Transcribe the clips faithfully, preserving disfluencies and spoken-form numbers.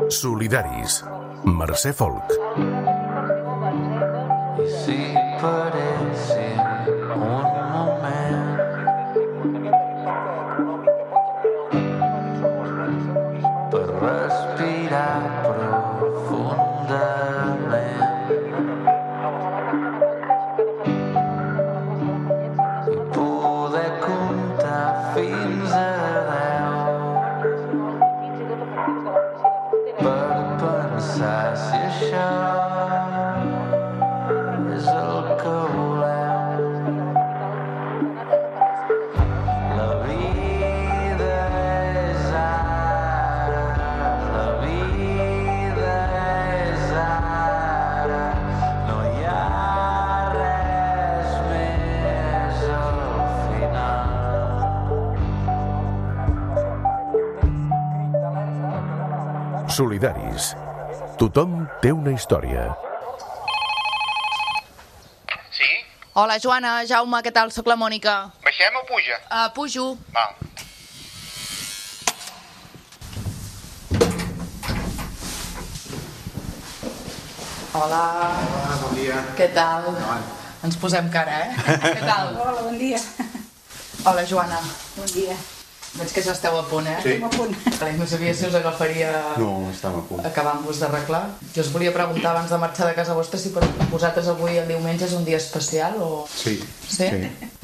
Solidaris. Mercè Folk. Si parece un moment per respirar profundament i poder comptar fins a deu per pensar si això és el que volem. La vida és ara, la vida és ara, no hi ha res més al final. Solidaris. Tothom té una història. Sí? Hola, Joana, Jaume, què tal? Soc la Mònica. Baixem o puja? Uh, pujo. Val. Hola. Hola, bon dia. Què tal? Endavant. Ens posem cara, eh? Què tal? Hola, bon dia. Hola, Joana. Bon dia. Veig que ja esteu a punt, eh? Sí. Estem a punt. Carai, no sabia si us agafaria No, estem a punt. acabant-vos d'arreglar. Jo us volia preguntar abans de marxar de casa vostra si per vosaltres avui el diumenge és un dia especial o... Sí. Sí?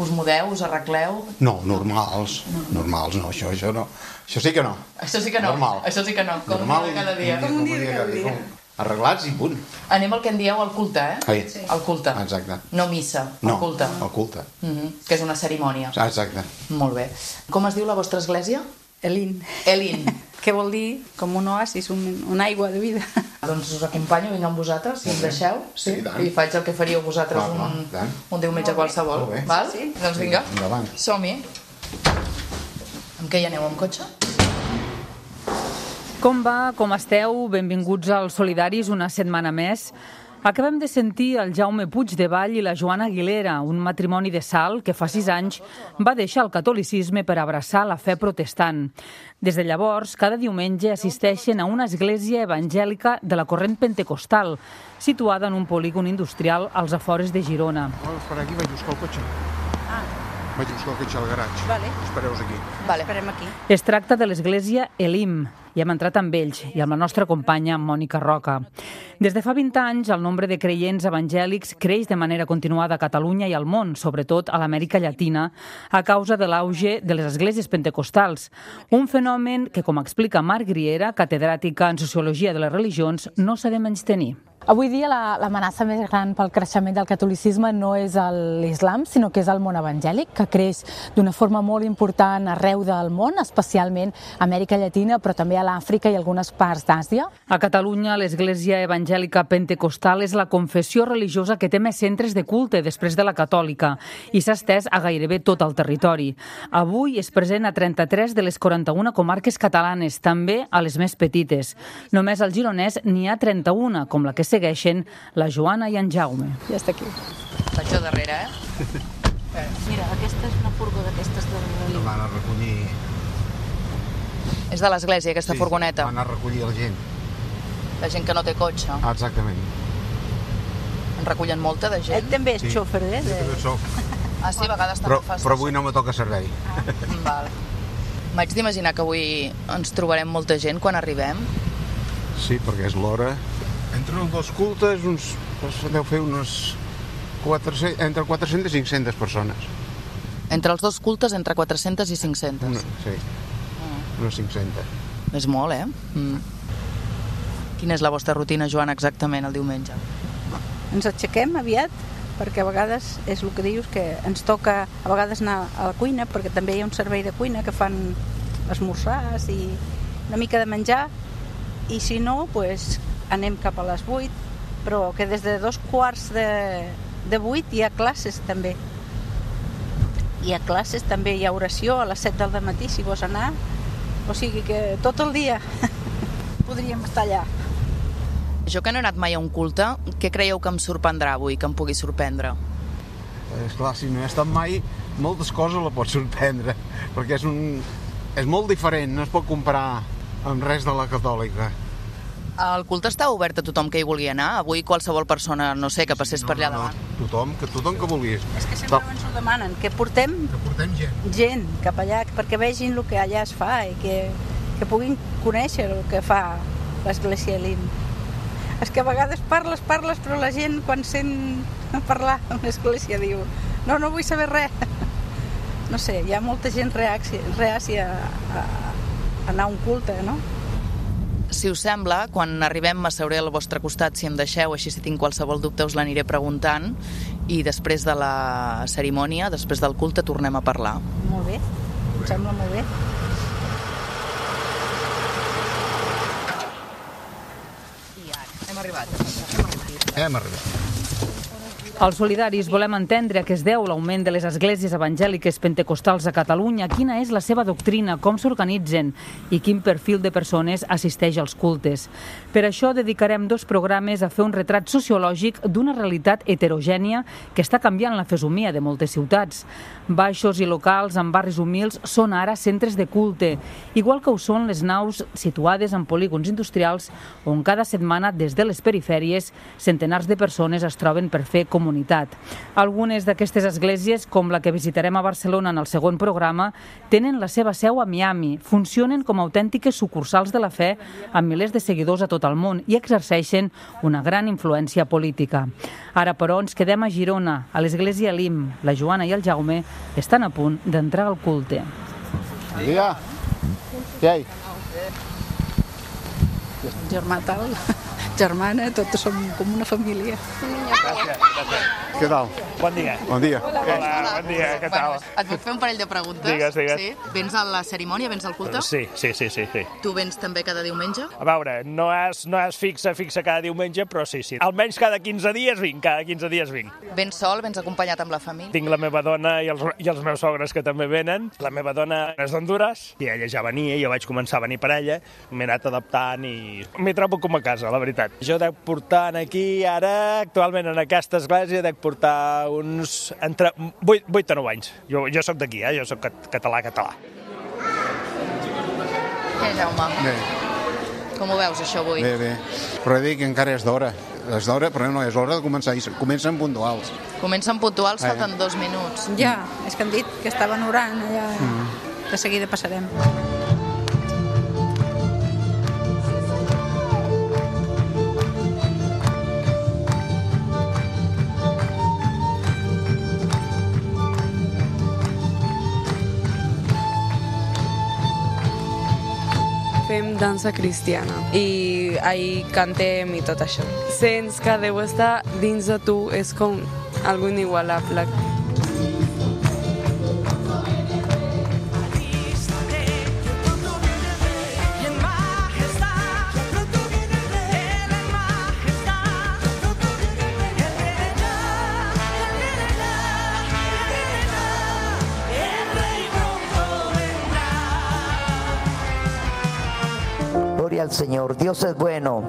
Us mudeu, us arregleu? No, normals. Normals, no, això, això no. Això sí que no. Això sí que no. Normal. Això sí que no. Com Normal, un dia de cada dia. Com un dia de cada dia. Arreglats i punt. Anem al que en dieu el culte, eh? Ai. Sí. El culte. Exacte. No missa, el No, culte. el culte. Mhm, que és una cerimònia. Exacte. Molt bé. Com es diu la vostra església? Elin. Elin. Què vol dir? Com un oasis, un, una aigua de vida. Doncs us acompanyo, vinc amb vosaltres, si us deixeu. Sí, i tant. I faig el que faríeu vosaltres Clar, clar, un, i tant. un diumenge qualsevol. Molt bé. Val? Sí. Doncs vinga, Endavant. som-hi. Amb què hi aneu, amb cotxe? Com va? Com esteu? Benvinguts als Solidaris una setmana més. Acabem de sentir el Jaume Puigdevall i la Joana Aguilera, un matrimoni de Salt que fa sis anys va deixar el catolicisme per abraçar la fe protestant. Des de llavors, cada diumenge assisteixen a una església evangèlica de la corrent pentecostal, situada en un polígon industrial als afores de Girona. Per aquí vaig buscar el cotxe. Ah, Vaig buscar el cotxe al garatge. vale. Espereu-vos aquí. Vale. Esperem aquí. Es tracta de l'església Elim, i hem entrat amb ells i amb la nostra companya Mònica Roca. Des de fa vint anys, el nombre de creients evangèlics creix de manera continuada a Catalunya i al món, sobretot a l'Amèrica Llatina, a causa de l'auge de les esglésies pentecostals. Un fenomen que, com explica Marc Griera, catedràtica en Sociologia de les Religions, no s'ha de menystenir. Avui dia la- l'amenaça més gran pel creixement del catolicisme no és l'islam, sinó que és el món evangèlic, que creix d'una forma molt important arreu del món, especialment a Amèrica Llatina, però també a l'Àfrica i algunes parts d'Àsia. A Catalunya, l'Església Evangèlica Pentecostal és la confessió religiosa que té més centres de culte després de la catòlica i s'ha estès a gairebé tot el territori. Avui és present a trenta-tres de les quaranta-una comarques catalanes, també a les més petites. Només al Gironès n'hi ha trenta-una, com la que segueixen la Joana i en Jaume. Ja està aquí. Vaig a darrere, eh? Mira, aquesta és una furgo d'aquestes de l'Elin. Van a recollir... És de l'església, aquesta furgoneta. Van a recollir la gent. La gent que no té cotxe. Ah, exactament. En recullen molta de Ell gent. també és Sí. xòfer, eh? Jo De... també soc. Ah, sí, a vegades Però, també fas... però avui no me toca servei. Val. M'haig d'imaginar que avui ens trobarem molta gent quan arribem. Sí, perquè és l'hora. Entre els dos cultes, uns, doncs, deu fer unes quatre-centes, entre quatre-centes i cinc-centes persones. Entre els dos cultes, entre quatre-centes i cinc-centes. Una, sí, unes cinc-centes. És molt, eh? Mm. Quina és la vostra rutina, Joana, exactament, el diumenge? Ens aixequem aviat, perquè a vegades és el que dius, que ens toca a vegades anar a la cuina, perquè també hi ha un servei de cuina que fan esmorzars i una mica de menjar, i si no, pues, anem cap a les vuit, però que des de dos quarts de, de vuit hi ha classes també. Hi ha classes, també hi ha oració a les set del matí si vols anar, o sigui que tot el dia podríem estar allà. Jo que no he anat mai a un culte, què creieu que em sorprendrà avui, que em pugui sorprendre? Esclar, si no he estat mai, moltes coses la pots sorprendre, perquè és, un, és molt diferent, no es pot comparar amb res de la catòlica. El culte està obert a tothom que hi vulgui anar? Avui qualsevol persona, no sé, que passés per allà davant. No, no, tothom, que tothom que vulguis. És que sempre ens ho demanen, que portem, que portem gent. gent cap allà, perquè vegin el que allà es fa i que, que puguin conèixer el que fa l'Església Elim. És que a vegades parles, parles, però la gent quan sent parlar amb l'Església diu no, no vull saber res. No sé, hi ha molta gent reàcia a, a anar a un culte, no? Si us sembla, quan arribem m'asseuré al vostre costat, si em deixeu, així si tinc qualsevol dubte us l'aniré preguntant, i després de la cerimònia, després del culte, tornem a parlar. Molt bé, em sembla molt bé. I ara, hem arribat. Hem arribat. Els solidaris volem entendre a què es deu l'augment de les esglésies evangèliques pentecostals a Catalunya, quina és la seva doctrina, com s'organitzen i quin perfil de persones assisteix als cultes. Per això dedicarem dos programes a fer un retrat sociològic d'una realitat heterogènia que està canviant la fesomia de moltes ciutats. Baixos i locals en barris humils són ara centres de culte, igual que ho són les naus situades en polígons industrials on cada setmana des de les perifèries centenars de persones es troben per fer comunitat. Algunes d'aquestes esglésies, com la que visitarem a Barcelona en el segon programa, tenen la seva seu a Miami, funcionen com autèntiques sucursals de la fe amb milers de seguidors a tot el món i exerceixen una gran influència política. Ara, però, ens quedem a Girona, a l'església Elim. La Joana i el Jaume estan a punt d'entrar al culte. Bon dia. Què hi ha? Germà tal, germana, tots som com una família. Què tal? Bon dia. Bon dia. Hola, bon dia, què tal? Et puc fer un parell de preguntes? Digues, digues. Sí? Vens a la cerimònia, vens al culte? Sí, sí, sí, sí, sí. Tu vens també cada diumenge? A veure, no és, no és fixa, fixa cada diumenge, però sí, sí. Almenys cada quinze dies vinc, cada quinze dies vinc. Vens sol, vens acompanyat amb la família? Tinc la meva dona i els, i els meus sogres que també venen. La meva dona és d'Honduras i ella ja venia, jo vaig començar a venir per ella, m'he anat adaptant i m'hi trobo com a casa, la veritat. Jo dec portar aquí, ara, actualment en aquesta església, dec portar uns entre vuit o nou anys. Jo, jo soc d'aquí, eh? Jo soc català-català. Què, Jaume? Bé. Com ho veus, això, avui? Bé, bé. Però he dit que encara és d'hora. És d'hora, però no, és l'hora de començar. Comencen puntuals. Comencen puntuals, falten dos minuts. Ja, és que han dit que estaven orant allà. Mm. De seguida passarem. Fem dansa cristiana i ahir cantem i tot això. Sents que Déu està dins de tu, és com algo inigualable. Al Señor, Dios es bueno,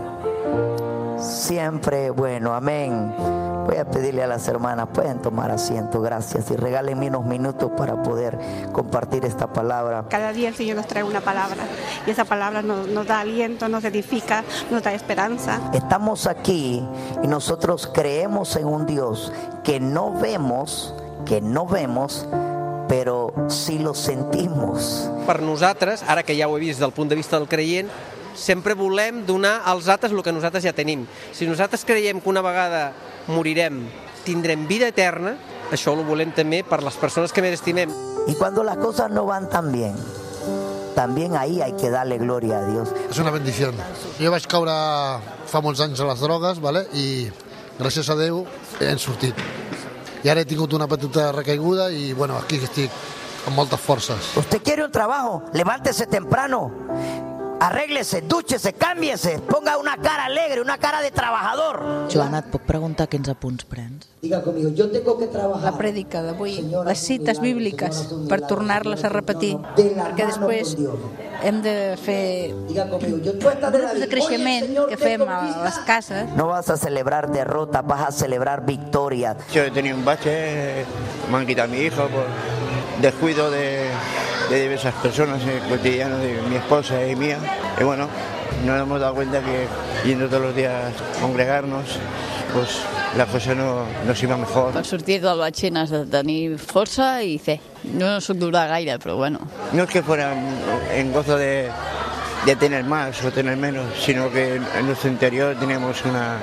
siempre bueno, amén. Voy a pedirle a las hermanas, pueden tomar asiento, gracias, y regálenme unos minutos para poder compartir esta palabra. Cada día el Señor nos trae una palabra y esa palabra nos, nos da aliento, nos edifica, nos da esperanza. Estamos aquí y nosotros creemos en un Dios que no vemos, que no vemos, però sí lo sentimos. Per nosaltres, ara que ja ho he vist del punt de vista del creient, sempre volem donar als altres el que nosaltres ja tenim. Si nosaltres creiem que una vegada morirem, tindrem vida eterna, això ho volem també per les persones que més estimem. Y cuando las cosas no van tan bien, también ahí hay que darle gloria a Dios. És una bendició. Jo vaig caure fa molts anys a les drogues, ¿vale? I gràcies a Déu hem sortit. I ara he tingut una petita recaiguda i bueno, aquí estic amb moltes forces. ¿Usted quiere un trabajo? Levántese temprano. Arréglese, dúchese, cámbiese, ponga una cara alegre, una cara de trabajador. Joana, et puc preguntar quins apunts prens? La prèdica d'avui, les cites bíbliques, per tornar-les a repetir, perquè després hem de fer grups de creixement que fem a les cases. No vas a celebrar derrota, vas a celebrar victoria. Yo he tenido un bache, me han quitado a mi hijo por descuido de, de diversas personas eh, cotidianas, de mi esposa y mía. Y bueno, nos hemos dado cuenta que yendo todos los días a congregarnos, pues la cosa no, no se iba mejor. Per sortir del batxer has de tenir força i fe. No soc dura gaire, però bueno. No es que fuera en gozo de, de tener más o tener menos, sino que en nuestro interior tenemos una,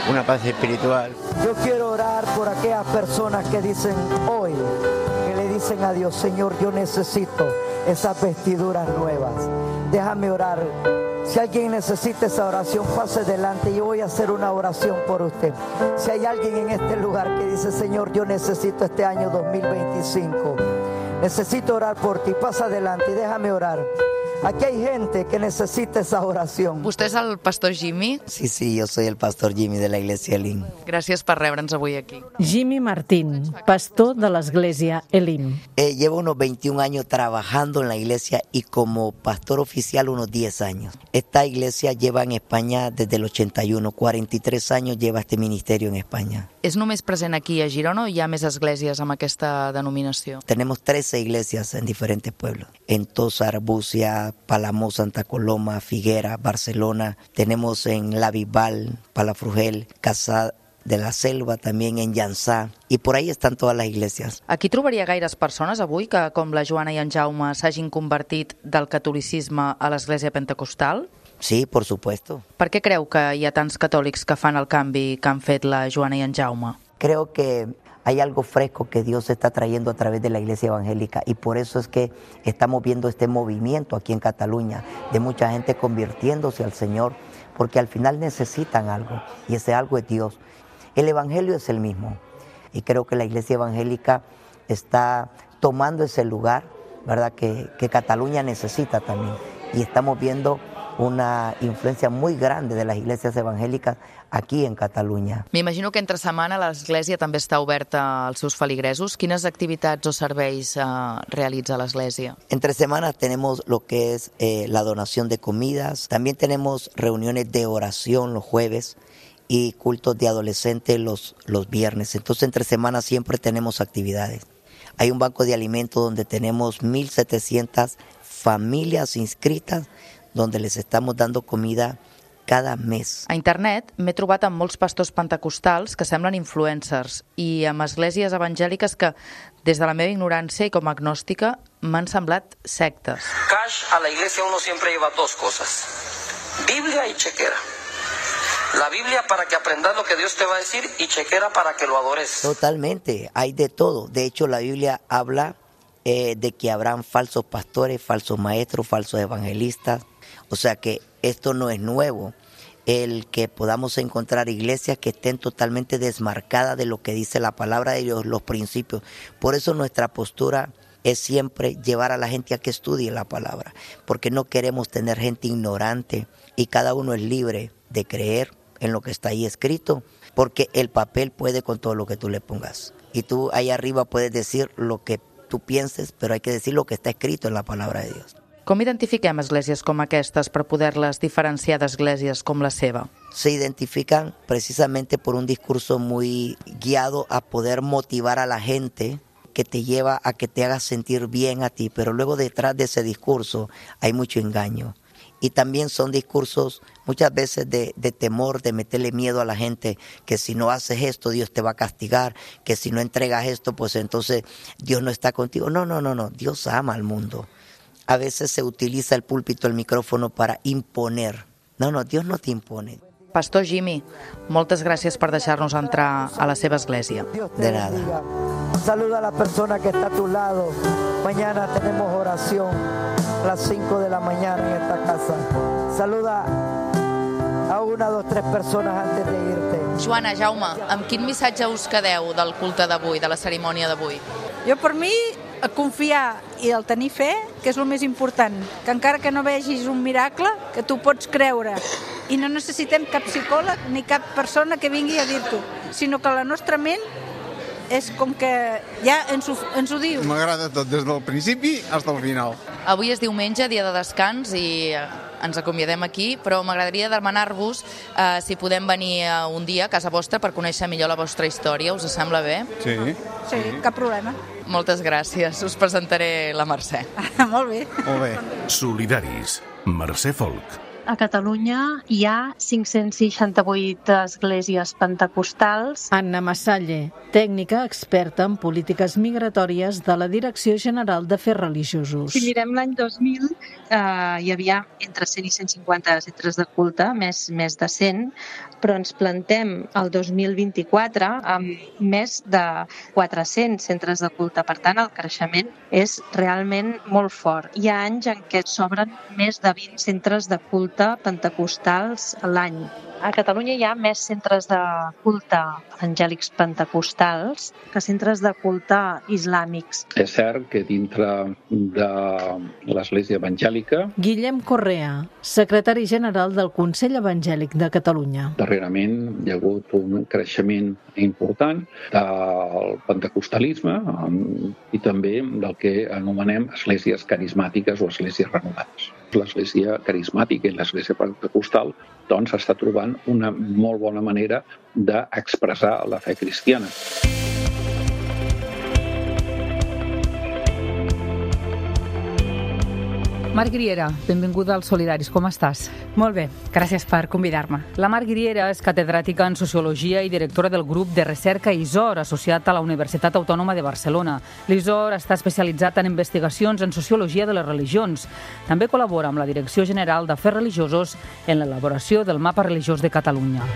una paz espiritual. Yo quiero orar por aquellas personas que dicen hoy, que le dicen a Dios, Señor, yo necesito esas vestiduras nuevas. Déjame orar. Si alguien necesita esa oración, pase delante. Yo voy a hacer una oración por usted. Si hay alguien en este lugar que dice, Señor, yo necesito este año dos mil veinticinco, necesito orar por ti, pasa adelante y déjame orar. Aquí hay gente que necesita esa oración. Vostè és el pastor Jimmy? Sí, sí, yo soy el pastor Jimmy de la iglesia Elim. Gràcies per rebre'ns avui aquí. Jimmy Martín, pastor de l'església Elim. Eh, llevo unos veintiún años trabajando en la iglesia y como pastor oficial unos diez años. Esta iglesia lleva en España desde el ochenta y uno, cuarenta y tres años lleva este ministerio en España. És només present aquí a Girona o hi ha més esglésies amb aquesta denominació? Tenemos trece iglesias en diferentes pueblos. En Tossa, Arbucia, Palamós, Santa Coloma, Figuera, Barcelona. Tenemos en La Bisbal, Palafrugell, Casa de la Selva, también en Llançà. Y por ahí están todas las iglesias. Aquí trobaria gaires persones avui que, com la Joana i en Jaume, s'hagin convertit del catolicisme a l'església pentecostal? Sí, por supuesto. Per què creu que hi ha tants catòlics que fan el canvi que han fet la Joana i en Jaume? Creo que hay algo fresco que Dios está trayendo a través de la iglesia evangélica y por eso es que estamos viendo este movimiento aquí en Cataluña de mucha gente convirtiéndose al Señor, porque al final necesitan algo y ese algo es Dios. El evangelio es el mismo y creo que la iglesia evangélica está tomando ese lugar, ¿verdad?, que, que Cataluña necesita también, y estamos viendo una influencia muy grande de las iglesias evangélicas aquí en Catalunya. M'imagino que entre setmana l'església també està oberta als seus feligresos. Quines activitats o serveis eh, realitza l'església? Entre semanas tenemos lo que es eh, la donación de comidas. También tenemos reuniones de oración los jueves y cultos de adolescentes los, los viernes. Entonces entre semanas siempre tenemos actividades. Hay un banco de alimentos donde tenemos mil setecientas familias inscritas donde les estamos dando comida cada mes. A internet m'he trobat amb molts pastors pentecostals que semblen influencers i amb esglésies evangèliques que, des de la meva ignorància i com a agnòstica, m'han semblat sectes. Cash a la iglesia uno siempre lleva dos cosas, Biblia y chequera. La Biblia para que aprendas lo que Dios te va a decir y chequera para que lo adores. Totalmente, hay de todo. De hecho, la Biblia habla eh, de que habrán falsos pastores, falsos maestros, falsos evangelistas. O sea que esto no es nuevo, el que podamos encontrar iglesias que estén totalmente desmarcadas de lo que dice la palabra de Dios, los principios. Por eso nuestra postura es siempre llevar a la gente a que estudie la palabra, porque no queremos tener gente ignorante y cada uno es libre de creer en lo que está ahí escrito, porque el papel puede con todo lo que tú le pongas. Y tú ahí arriba puedes decir lo que tú pienses, pero hay que decir lo que está escrito en la palabra de Dios. Com identifiquem esglésies com aquestes per poder-les diferenciar d'esglésies com la seva? Se identifican precisamente por un discurso muy guiado a poder motivar a la gente, que te lleva a que te hagas sentir bien a ti, pero luego detrás de ese discurso hay mucho engaño. Y también son discursos muchas veces de, de temor, de meterle miedo a la gente, que si no haces esto Dios te va a castigar, que si no entregas esto pues entonces Dios no está contigo. No, no, no, no, Dios ama al mundo. A veces se utiliza el púlpito, el micrófono para imponer. No, no, Dios no te impone. Pastor Jimmy, moltes gràcies per deixar-nos entrar a la seva església. De nada. Saluda a la persona que está a tu lado. Mañana tenemos oración a las cinco de la mañana en esta casa. Saluda a una, dos, tres personas antes de irte. Joana, Jaume, amb quin missatge us quedeu del culte d'avui, de la cerimònia d'avui? Jo, per mi, a confiar i el tenir fe, que és el més important, que encara que no vegis un miracle, que tu pots creure. I no necessitem cap psicòleg ni cap persona que vingui a dir-t'ho, sinó que la nostra ment és com que ja ens ho, ens ho diu. M'agrada tot, des del principi fins al final. Avui és diumenge, dia de descans, i ens acomiadem aquí, però m'agradaria demanar-vos eh, si podem venir un dia a casa vostra per conèixer millor la vostra història. Us sembla bé? Sí. Sí, cap problema. Moltes gràcies. Us presentaré la Mercè. Molt bé. Molt bé. Solidaris. Mercè Folk. A Catalunya hi ha cinc-cents seixanta-vuit esglésies pentecostals. Anna Massalle, tècnica experta en polítiques migratòries de la Direcció General d'Afers Religiosos. Si mirem l'any dos mil, eh, hi havia entre cent i cent cinquanta centres de culte, més, més de cent, però ens plantem el dos mil vint-i-quatre amb més de quatre-cents centres de culte. Per tant, el creixement és realment molt fort. Hi ha anys en què s'obren més de vint centres de culte pentecostals a l'any. A Catalunya hi ha més centres de culte evangèlics pentecostals que centres de culte islàmics. És cert que dintre de l'Església Evangèlica... Guillem Correa, secretari general del Consell Evangèlic de Catalunya. Darrerament hi ha hagut un creixement important del pentecostalisme i també del que anomenem esglésies carismàtiques o esglésies renovades. L'església carismàtica i l'església pentecostal doncs està trobant una molt bona manera d'expressar la fe cristiana. Mar Griera, benvinguda als Solidaris. Com estàs? Molt bé, gràcies per convidar-me. La Mar Griera és catedràtica en Sociologia i directora del grup de recerca I S O R, associat a la Universitat Autònoma de Barcelona. L'I S O R està especialitzat en investigacions en Sociologia de les religions. També col·labora amb la Direcció General d'Afers Religiosos en l'elaboració del Mapa Religiós de Catalunya.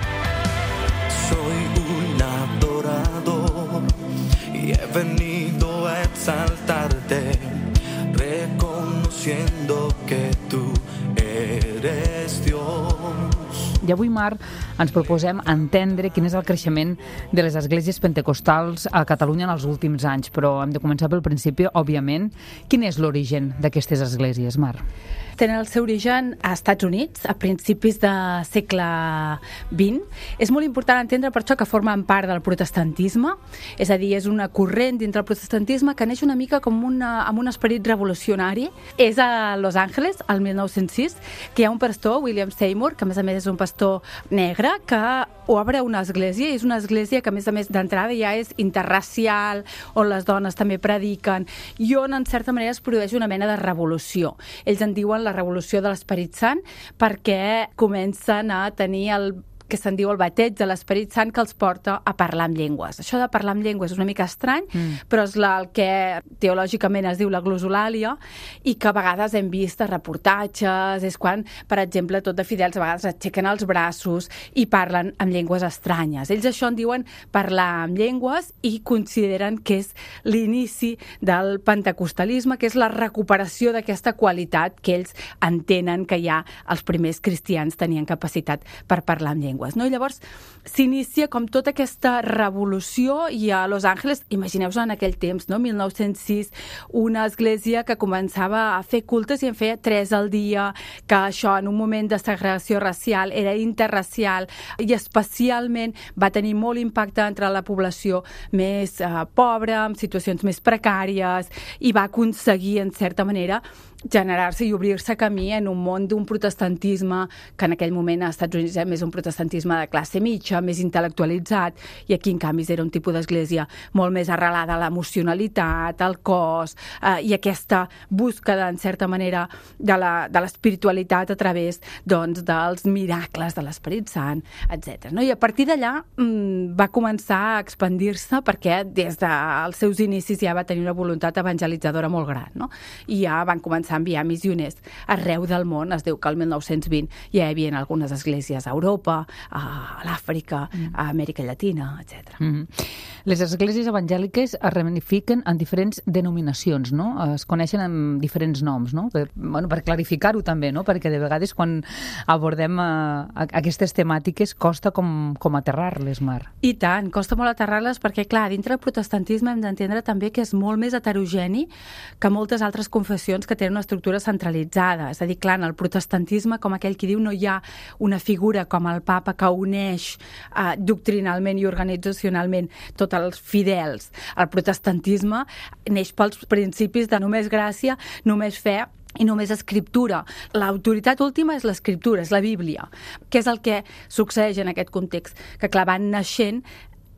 Soy un adorador y he venido a exaltarte, reconociendo que tú eres Dios. I avui, Mar, ens proposem entendre quin és el creixement de les esglésies pentecostals a Catalunya en els últims anys, però hem de començar pel principi, òbviament. Quin és l'origen d'aquestes esglésies, Mar? Tenen el seu origen a Estats Units, a principis de segle vint. És molt important entendre per això que formen part del protestantisme, és a dir, és una corrent dintre el protestantisme que neix una mica com una, amb un esperit revolucionari. És a Los Angeles, al mil nou-cents sis, que hi ha un pastor, William Seymour, que a més a més és un pastor negre, que obre una església, i és una església que a més a més d'entrada ja és interracial, on les dones també prediquen, i on en certa manera es produeix una mena de revolució. Ells en diuen la revolució de l'Esperit Sant perquè comencen a tenir el que se'n diu el bateig de l'Esperit Sant, que els porta a parlar amb llengües. Això de parlar amb llengües és una mica estrany, mm. però és la, el que teològicament es diu la glosolàlia, i que a vegades hem vist a reportatges, és quan, per exemple, tot de fidels a vegades aixequen els braços i parlen amb llengües estranyes. Ells això en diuen parlar amb llengües i consideren que és l'inici del pentecostalisme, que és la recuperació d'aquesta qualitat que ells entenen que ja els primers cristians tenien capacitat per parlar amb llengües. No? I llavors s'inicia com tota aquesta revolució, i a Los Angeles, imagineu-vos en aquell temps, no? mil nou-cents sis, una església que començava a fer cultes i en feia tres al dia, que això en un moment de segregació racial era interracial i especialment va tenir molt impacte entre la població més eh, pobra, amb situacions més precàries, i va aconseguir, en certa manera, generar-se i obrir-se camí en un món d'un protestantisme que en aquell moment als Estats Units era més un protestantisme de classe mitja, més intel·lectualitzat, i aquí en canvi era un tipus d'església molt més arrelada a l'emocionalitat, al cos, eh, i aquesta búsqueda, en certa manera, de la, de l'espiritualitat a través doncs, dels miracles de l'Esperit Sant, etcètera. No? I a partir d'allà mmm, va començar a expandir-se perquè des dels seus inicis ja va tenir una voluntat evangelitzadora molt gran, no? I ja van començar començar a enviar missioners arreu del món. Es diu que el mil nou-cents vint ja hi havia algunes esglésies a Europa, a l'Àfrica, mm. a Amèrica Llatina, etcètera. Mm-hmm. Les esglésies evangèliques es ramifiquen en diferents denominacions, no? Es coneixen amb diferents noms, no? Per, bueno, per clarificar-ho també, no? Perquè de vegades quan abordem uh, aquestes temàtiques costa com, com aterrar-les, Mar. I tant, costa molt aterrar-les perquè, clar, dintre del protestantisme hem d'entendre també que és molt més heterogeni que moltes altres confessions que tenen una estructura centralitzada. És a dir, clar, en el protestantisme, com aquell qui diu, no hi ha una figura com el papa que uneix uh, doctrinalment i organitzacionalment tot els fidels. El protestantisme neix pels principis de només gràcia, només fe i només escriptura. L'autoritat última és l'escriptura, és la Bíblia. Què és el que succeeix en aquest context? Que clar, van naixent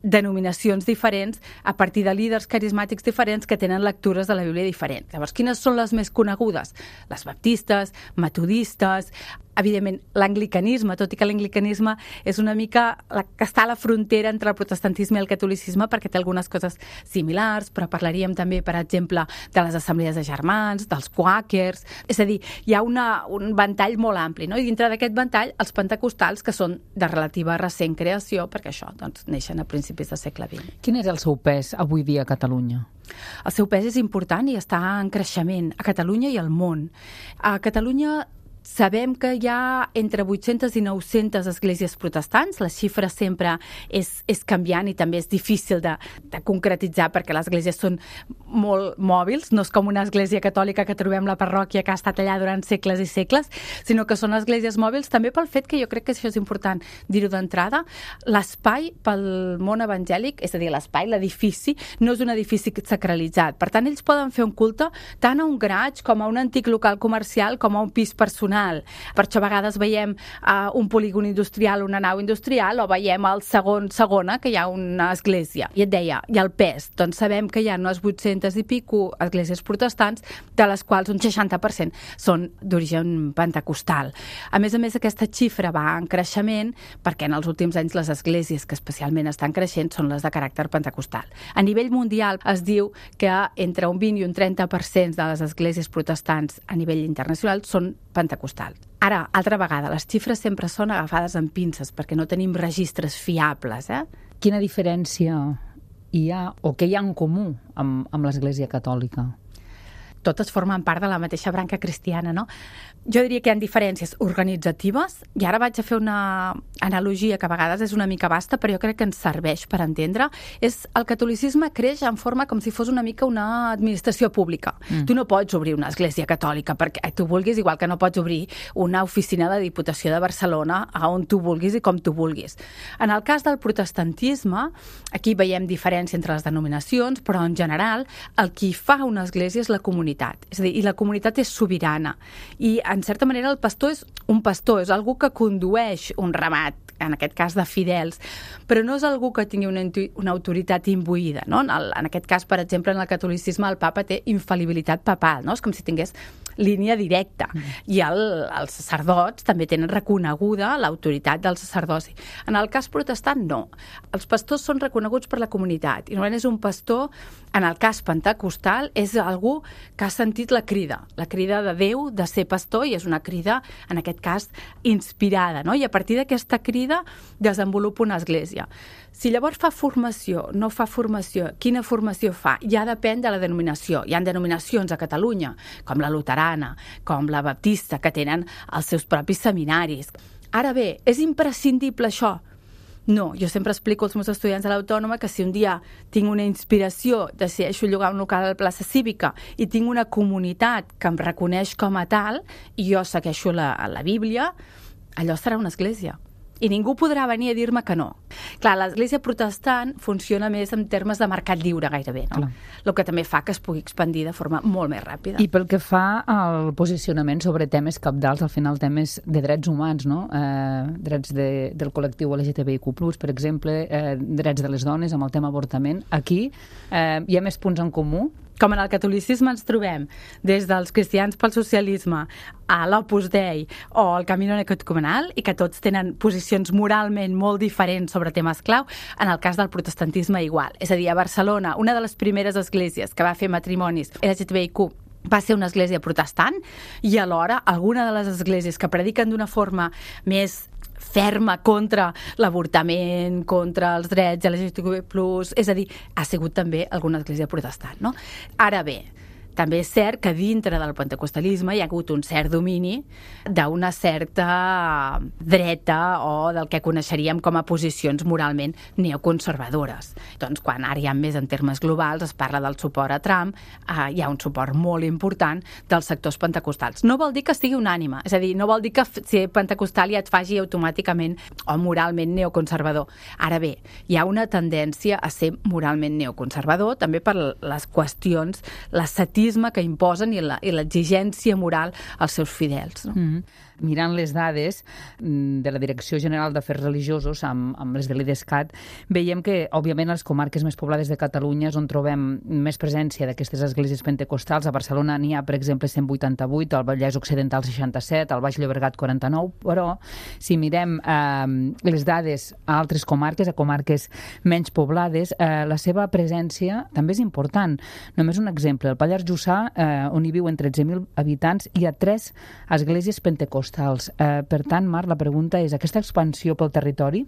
denominacions diferents a partir de líders carismàtics diferents que tenen lectures de la Bíblia diferents. Llavors, quines són les més conegudes? Les baptistes, metodistes, evidentment, l'anglicanisme, tot i que l'anglicanisme és una mica la que està a la frontera entre el protestantisme i el catolicisme perquè té algunes coses similars, però parlaríem també, per exemple, de les assemblees de germans, dels quàquers, és a dir, hi ha una, un ventall molt ampli, no? I dintre d'aquest ventall, els pentecostals, que són de relativa recent creació, perquè això, doncs, neixen a principis del segle vint. Quin és el seu pes avui dia a Catalunya? El seu pes és important i està en creixement a Catalunya i al món. A Catalunya sabem que hi ha entre vuit-centes i nou-centes esglésies protestants. La xifra sempre és, és canviant i també és difícil de, de concretitzar perquè les esglésies són molt mòbils. No és com una església catòlica que trobem la parròquia que ha estat allà durant segles i segles, sinó que són esglésies mòbils també pel fet que jo crec que això és important dir-ho d'entrada. L'espai pel món evangèlic, és a dir, l'espai, l'edifici, no és un edifici sacralitzat. Per tant, ells poden fer un culte tant a un garatge com a un antic local comercial com a un pis personal. Per això a vegades veiem uh, un polígon industrial, una nau industrial, o veiem al segon segona que hi ha una església. I et deia, i el pes, doncs sabem que hi ha unes vuit-centes i pico esglésies protestants, de les quals un seixanta per cent són d'origen pentecostal. A més a més, aquesta xifra va en creixement perquè en els últims anys les esglésies que especialment estan creixent són les de caràcter pentecostal. A nivell mundial es diu que entre un vint i un trenta per cent de les esglésies protestants a nivell internacional són pentecostals. Ara, altra vegada, les xifres sempre són agafades amb pinces perquè no tenim registres fiables. Eh? Quina diferència hi ha o què hi ha en comú amb, amb l'Església Catòlica? Totes formen part de la mateixa branca cristiana, no? Jo diria que hi ha diferències organitzatives, i ara vaig a fer una analogia que a vegades és una mica vasta, però jo crec que ens serveix per entendre. És el catolicisme creix en forma com si fos una mica una administració pública. Mm. Tu no pots obrir una església catòlica perquè tu vulguis, igual que no pots obrir una oficina de Diputació de Barcelona a on tu vulguis i com tu vulguis. En el cas del protestantisme, aquí veiem diferència entre les denominacions, però en general el qui fa una església és la comunitat. És a dir, i la comunitat és sobirana. I en certa manera el pastor és un pastor, és algú que condueix un ramat, en aquest cas de fidels, però no és algú que tingui una, una autoritat imbuïda, no? En, el, en aquest cas, per exemple, en el catolicisme el papa té infal·libilitat papal, no? És com si tingués línia directa. Mm. I el, els sacerdots també tenen reconeguda l'autoritat del sacerdoci. En el cas protestant, no. Els pastors són reconeguts per la comunitat. I normalment és un pastor, en el cas pentecostal, és algú que ha sentit la crida, la crida de Déu de ser pastor, i és una crida, en aquest cas, inspirada, no? I a partir d'aquesta crida desenvolupa una església. Si llavors fa formació, no fa formació, quina formació fa? Ja depèn de la denominació. Hi ha denominacions a Catalunya, com la luterana, com la baptista, que tenen els seus propis seminaris. Ara bé, és imprescindible això? No, jo sempre explico als meus estudiants de l'Autònoma que si un dia tinc una inspiració, decideixo llogar un local a la plaça Cívica i tinc una comunitat que em reconeix com a tal i jo segueixo la, la Bíblia, allò serà una església. I ningú podrà venir a dir-me que no. Clar, l'església protestant funciona més en termes de mercat lliure gairebé, no? El que també fa que es pugui expandir de forma molt més ràpida. I pel que fa al posicionament sobre temes cabdals, al final temes de drets humans, no? Eh, drets de, del col·lectiu L G T B I Q plus, per exemple, eh, drets de les dones amb el tema avortament. Aquí eh, hi ha més punts en comú? Com en el catolicisme ens trobem des dels cristians pel socialisme a l'Opus Dei o el Camino Neocatecumenal, i que tots tenen posicions moralment molt diferents sobre temes clau, en el cas del protestantisme igual. És a dir, a Barcelona, una de les primeres esglésies que va fer matrimonis L G T B I Q va ser una església protestant i alhora alguna de les esglésies que prediquen d'una forma més ferma contra l'avortament, contra els drets L G B T Q plus, és a dir, ha sigut també alguna església protestant, no? Ara bé, també és cert que dintre del pentecostalisme hi ha hagut un cert domini d'una certa dreta o del que coneixeríem com a posicions moralment neoconservadores. Doncs quan ara hi ha més en termes globals es parla del suport a Trump, eh, hi ha un suport molt important dels sectors pentecostals. No vol dir que sigui unànime, és a dir, no vol dir que ser pentecostal ja et faci automàticament o moralment neoconservador. Ara bé, hi ha una tendència a ser moralment neoconservador també per les qüestions, l'ascetisme que imposen i l'exigència moral als seus fidels. No? Mm-hmm. Mirant les dades de la Direcció General d'Afers Religiosos amb, amb les de l'IDESCAT, veiem que, òbviament, a les comarques més poblades de Catalunya és on trobem més presència d'aquestes esglésies pentecostals. A Barcelona n'hi ha, per exemple, cent vuitanta-vuit, al Vallès Occidental seixanta-set, al Baix Llobregat quaranta-nou, però si mirem eh, les dades a altres comarques, a comarques menys poblades, eh, la seva presència també és important. Només un exemple, al Pallars Jussà, eh, on hi viuen tretze mil habitants, hi ha tres esglésies pentecostals. Eh, per tant, Mar, la pregunta és, aquesta expansió pel territori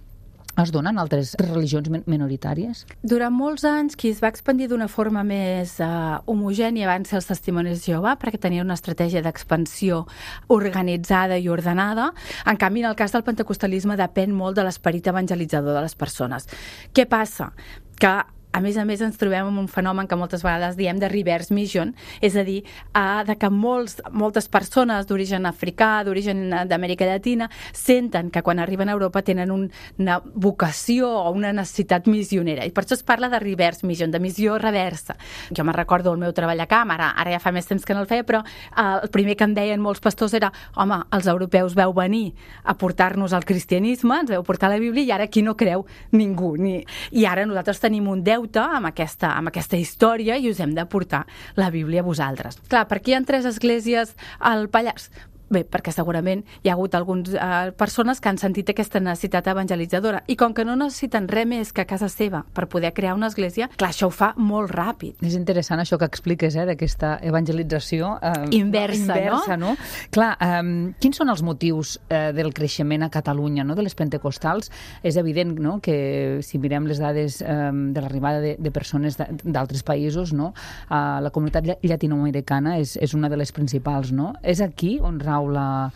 es dona en altres religions minoritàries? Durant molts anys, qui es va expandir d'una forma més uh, homogènia van ser els testimonis de Jehovà, perquè tenia una estratègia d'expansió organitzada i ordenada. En canvi, en el cas del pentecostalisme depèn molt de l'esperit evangelitzador de les persones. Què passa? Que a més a més ens trobem amb un fenomen que moltes vegades diem de reverse mission, és a dir, eh, de que molts, moltes persones d'origen africà, d'origen d'Amèrica Llatina, senten que quan arriben a Europa tenen un, una vocació o una necessitat missionera, i per això es parla de reverse mission, de missió reversa. Jo me recordo el meu treball a camp, ara, ara ja fa més temps que no el feia, però eh, el primer que em deien molts pastors era, home, els europeus veu venir a portar-nos al cristianisme, ens veu portar la Bíblia, i ara aquí no creu ningú. Ni... I ara nosaltres tenim un deute amb aquesta, amb aquesta història i us hem de portar la Bíblia a vosaltres. Clar, per què hi ha tres esglésies al Pallars? Bé, perquè segurament hi ha hagut algunes eh, persones que han sentit aquesta necessitat evangelitzadora, i com que no necessiten res més que a casa seva per poder crear una església, clar, això ho fa molt ràpid. És interessant això que expliques, eh, d'aquesta evangelització eh, inversa, inversa, no? no? Clar, eh, quins són els motius eh, del creixement a Catalunya, no?, de les pentecostals? És evident, no?, que si mirem les dades eh, de l'arribada de, de persones d'altres països, no?, eh, la comunitat llatinoamericana és, és una de les principals, no? És aquí on rau La,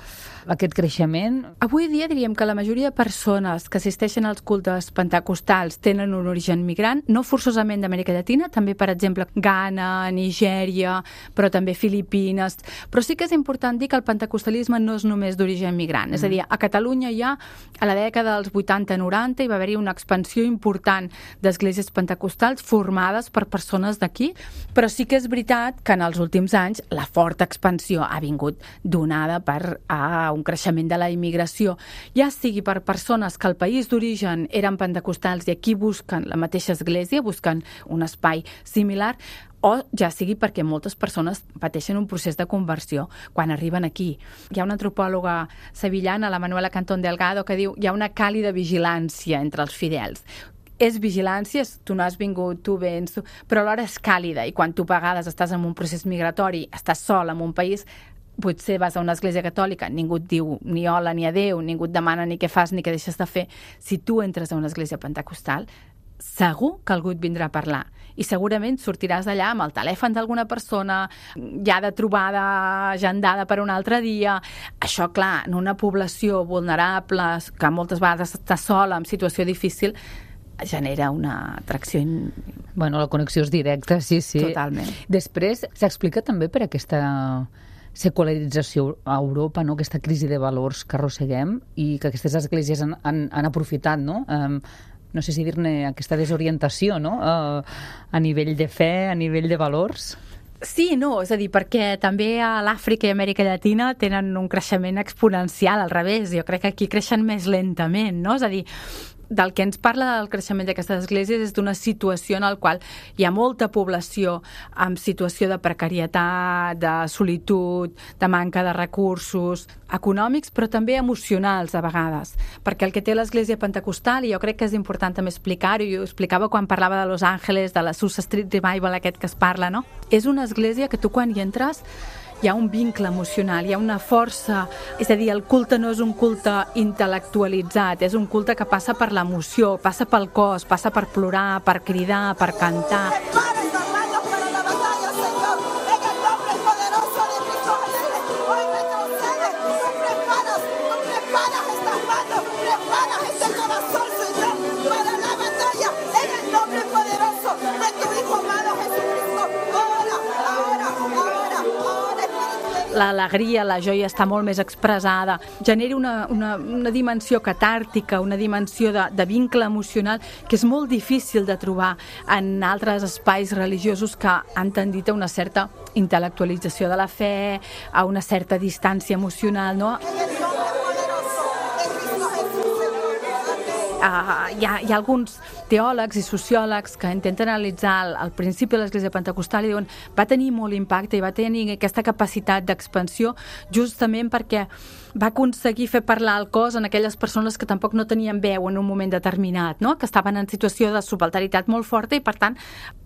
aquest creixement? Avui dia diríem que la majoria de persones que assisteixen als cultes pentecostals tenen un origen migrant, no forçosament d'Amèrica Llatina, també, per exemple, Ghana, Nigèria, però també Filipines. Però sí que és important dir que el pentecostalisme no és només d'origen migrant. Mm. És a dir, a Catalunya ja, a la dècada dels vuitanta noranta, hi va haver-hi una expansió important d'esglésies pentecostals formades per persones d'aquí, però sí que és veritat que en els últims anys la forta expansió ha vingut donada per a un creixement de la immigració, ja sigui per persones que al país d'origen eren pentecostals i aquí busquen la mateixa església, busquen un espai similar, o ja sigui perquè moltes persones pateixen un procés de conversió quan arriben aquí. Hi ha una antropòloga sevillana, la Manuela Cantón Delgado, que diu hi ha una càlida vigilància entre els fidels. És vigilància, tu no has vingut, tu vens, tu... però alhora és càlida, i quan tu a vegades estàs en un procés migratori, estàs sol en un país, potser vas a una església catòlica, ningú et diu ni hola ni adeu, ningú et demana ni què fas ni què deixes de fer. Si tu entres a una església pentecostal, segur que algú et vindrà a parlar, i segurament sortiràs d'allà amb el telèfon d'alguna persona, ja de trobada agendada per un altre dia. Això, clar, en una població vulnerable, que moltes vegades està sola, en situació difícil, genera una atracció... In... Bueno, la connexió és directa, sí, sí. Totalment. Després, s'explica també per aquesta secularització a Europa, no?, aquesta crisi de valors que arrosseguem i que aquestes esglésies han, han, han aprofitat, no? Um, no sé si dir-ne aquesta desorientació, no?, uh, a nivell de fe, a nivell de valors. Sí, no, és a dir, perquè també a l'Àfrica i Amèrica Llatina tenen un creixement exponencial, al revés. Jo crec que aquí creixen més lentament, no? És a dir, del que ens parla del creixement d'aquestes esglésies és d'una situació en la qual hi ha molta població en situació de precarietat, de solitud, de manca de recursos econòmics, però també emocionals a vegades, perquè el que té l'Església Pentecostal, i jo crec que és important també explicar-ho, i ho explicava quan parlava de Los Angeles, de la Azusa Street Revival aquest que es parla, no? És una església que tu quan hi entres hi ha un vincle emocional, hi ha una força, és a dir, el culte no és un culte intel·lectualitzat, és un culte que passa per l'emoció, passa pel cos, passa per plorar, per cridar, per cantar. L'alegria, la joia està molt més expressada, genera una, una, una dimensió catàrtica, una dimensió de, de vincle emocional que és molt difícil de trobar en altres espais religiosos que han tendit a una certa intel·lectualització de la fe, a una certa distància emocional, no? Uh, hi, ha, hi ha alguns teòlegs i sociòlegs que intenten analitzar el, el principi de l'Església Pentecostal i diuen va tenir molt impacte i va tenir aquesta capacitat d'expansió justament perquè va aconseguir fer parlar el cos en aquelles persones que tampoc no tenien veu en un moment determinat, no? Que estaven en situació de subalteritat molt forta i per tant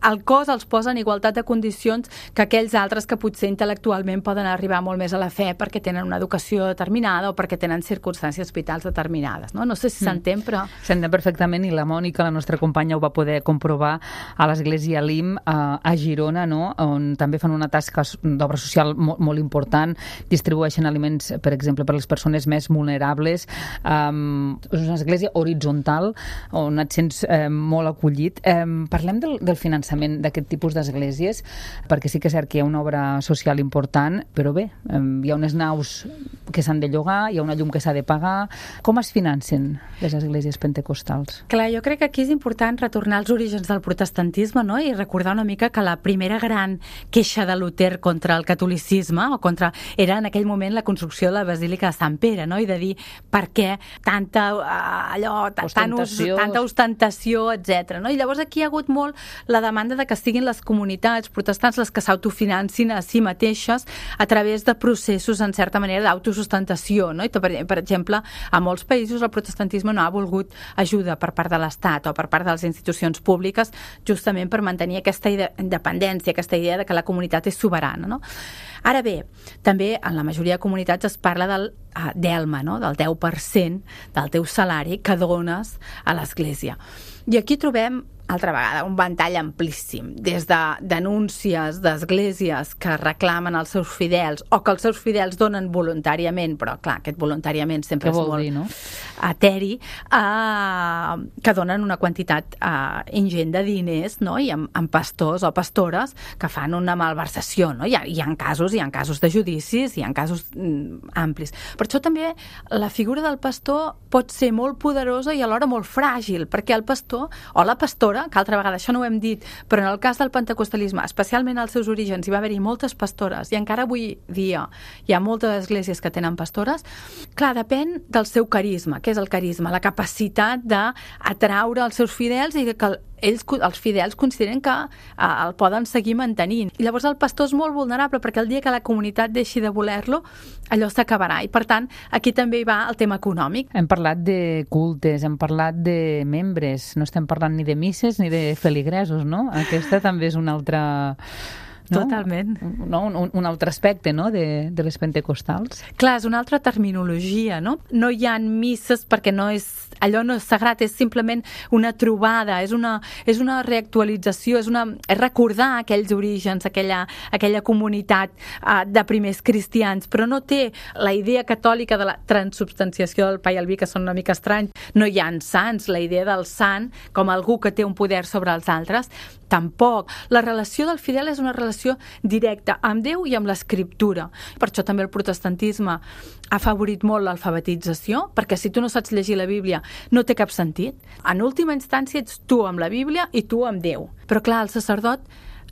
el cos els posa en igualtat de condicions que aquells altres que potser intel·lectualment poden arribar molt més a la fe perquè tenen una educació determinada o perquè tenen circumstàncies vitals determinades, no? No sé si s'entén, mm. però... S'entén perfectament i la Mònica, la nostra companya, ho va poder comprovar a l'Església Lim a, a Girona, no? On també fan una tasca d'obra social molt, molt important, distribueixen aliments, per exemple, per les persones més vulnerables. Um, és una església horitzontal on et sents eh, molt acollit. Um, parlem del, del finançament d'aquest tipus d'esglésies, perquè sí que és cert que hi ha una obra social important, però bé, um, hi ha unes naus que s'han de llogar, hi ha una llum que s'ha de pagar. Com es financen les esglésies pentecostals? Clar, jo crec que aquí és important retornar als orígens del protestantisme, no? I recordar una mica que la primera gran queixa de Luter contra el catolicisme o contra era en aquell moment la construcció de la Basílica de Sant Pere, no? I de dir per què tanta allò, ostentació, tanta ostentació, etcètera. No? I llavors aquí hi ha hagut molt la demanda de que siguin les comunitats protestants les que s'autofinancin a si mateixes a través de processos, en certa manera, d'autosustentació, no? I per, per exemple, a molts països el protestantisme no ha volgut ajuda per part de l'Estat o per part de les institucions públiques justament per mantenir aquesta independència, aquesta idea de que la comunitat és soberana, no? Ara bé, també en la majoria de comunitats es parla del uh, delma, no? Del deu per cent del teu salari que dones a l'Església. I aquí trobem altra vegada, un ventall amplíssim, des de denúncies d'esglésies que reclamen als seus fidels o que els seus fidels donen voluntàriament, però clar, aquest voluntàriament sempre és molt dir, no? eteri, uh, que donen una quantitat uh, ingent de diners, no? I amb, amb pastors o pastores que fan una malversació, no? Hi ha, hi ha casos, hi ha casos de judicis, hi ha casos mm, amplis. Per això també la figura del pastor pot ser molt poderosa i alhora molt fràgil, perquè el pastor o la pastora, que altra vegada això no ho hem dit, però en el cas del pentecostalisme, especialment als seus orígens, hi va haver-hi moltes pastores, i encara avui dia hi ha moltes esglésies que tenen pastores. Clar, depèn del seu carisma. Què és el carisma? La capacitat d'atraure els seus fidels i que ells, els fidels, consideren que eh, el poden seguir mantenint. I llavors el pastor és molt vulnerable perquè el dia que la comunitat deixi de voler-lo, allò s'acabarà. I per tant, aquí també hi va el tema econòmic. Hem parlat de cultes, hem parlat de membres, no estem parlant ni de misses ni de feligresos, no? Aquesta també és una altra... No? Totalment. No? Un, un altre aspecte, no?, de, de les pentecostals. Clar, és una altra terminologia, no? No hi ha misses perquè no és, allò no és sagrat, és simplement una trobada, és una, és una reactualització, és, una, és recordar aquells orígens, aquella, aquella comunitat uh, de primers cristians, però no té la idea catòlica de la transubstanciació del pa i el vi, que són una mica estranys. No hi ha sants, la idea del sant com algú que té un poder sobre els altres, tampoc. La relació del fidel és una relació directa amb Déu i amb l'Escriptura. Per això també el protestantisme ha favorit molt l'alfabetització, perquè si tu no saps llegir la Bíblia no té cap sentit. En última instància ets tu amb la Bíblia i tu amb Déu. Però clar, al sacerdot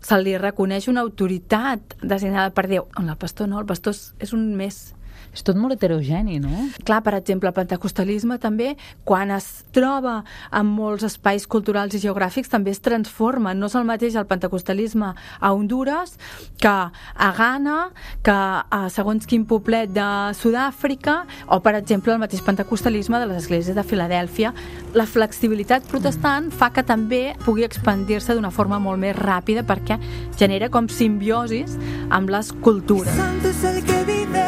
se li reconeix una autoritat designada per Déu. En el pastor no, el pastor és un més És tot molt heterogeni, no? Clar, per exemple, el pentecostalisme també, quan es troba en molts espais culturals i geogràfics, també es transforma. No és el mateix el pentecostalisme a Hondures que a Ghana, que a segons quin poblet de Sud-àfrica, o, per exemple, el mateix pentecostalisme de les esglésies de Filadèlfia. La flexibilitat protestant fa que també pugui expandir-se d'una forma molt més ràpida perquè genera com simbiosis amb les cultures. Santo es el que vive,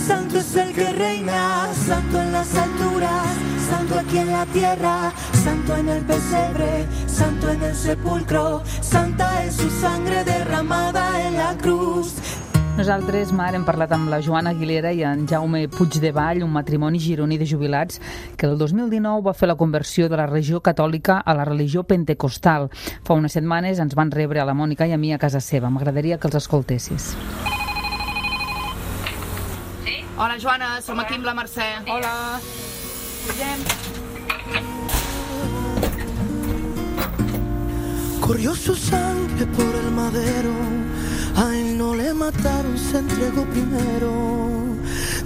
santo es el que reina, santo en las alturas, santo aquí en la tierra, santo en el pesebre, santo en el sepulcro, santa es su sangre derramada en la cruz. Nosaltres, Mar, hem parlat amb la Joana Aguilera i en Jaume Puigdevall, un matrimoni gironí de jubilats que el dos mil dinou va fer la conversió de la religió catòlica a la religió pentecostal. Fa unes setmanes ens van rebre a la Mònica i a mi a casa seva. M'agradaria que els escoltessis. Sí? Hola, Joana, som aquí amb la Mercè. Hola. Pugem. Corrió su sangre por el madero, a él no le mataron, se entregó primero.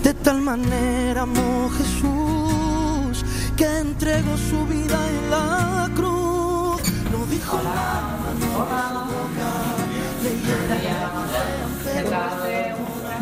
De tal manera amó Jesús, que entregó su vida en la cruz. No dijo nada,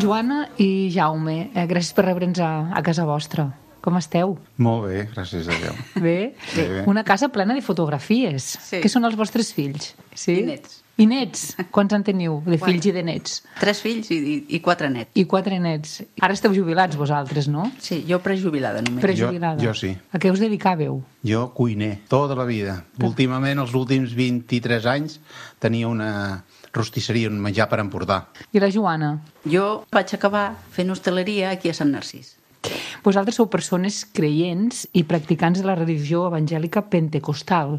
Joana i Jaume, eh, gràcies per rebre'ns a, a casa vostra. Com esteu? Molt bé, gràcies a Déu. Bé? Bé, bé. Una casa plena de fotografies. Sí. Què són els vostres fills? Sí? I nets. I nets? Quants en teniu, de Quatre. fills i de nets? Tres fills i, i, i quatre nets. I quatre nets. Ara esteu jubilats vosaltres, no? Sí, jo prejubilada només. Prejubilada. Jo, jo sí. A què us dedicàveu? Jo cuiner, tota la vida. Últimament, els últims vint-i-tres anys, tenia una rostisseria, un menjar per emportar. I la Joana? Jo vaig acabar fent hostaleria aquí a Sant Narcís. Vosaltres sou persones creients i practicants de la religió evangèlica pentecostal.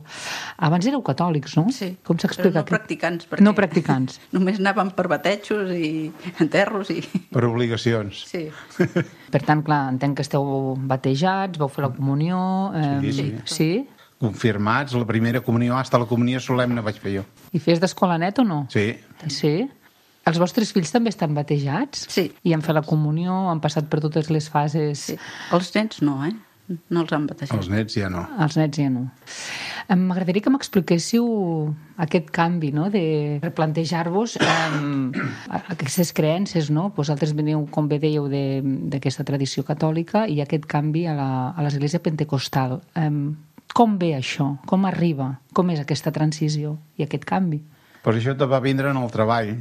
Abans éreu catòlics, no? Sí, com s'explica? però no practicants. No practicants. Només anàvem per batejos i enterros i... Per obligacions. Sí. Per tant, clar, entenc que esteu batejats, vau fer la comunió... Eh, Sí, sí. sí? Confirmats, la primera comunió, hasta la comunió solemne vaig fer jo. I fes d'escolanet o no? Sí. Sí? Els vostres fills també estan batejats? Sí. I han fet la comunió, han passat per totes les fases... Sí. Els nets no, eh? No els han batejat. Els nets ja no. Els nets ja no. Em- M'agradaria que m'expliquéssiu aquest canvi, no?, de replantejar-vos um, aquestes creences, no? Vosaltres veniu, com bé dèieu, de- d'aquesta tradició catòlica i aquest canvi a la- a l'església pentecostal. Um, com ve això? Com arriba? Com és aquesta transició i aquest canvi? Per això te va vindre en el treball.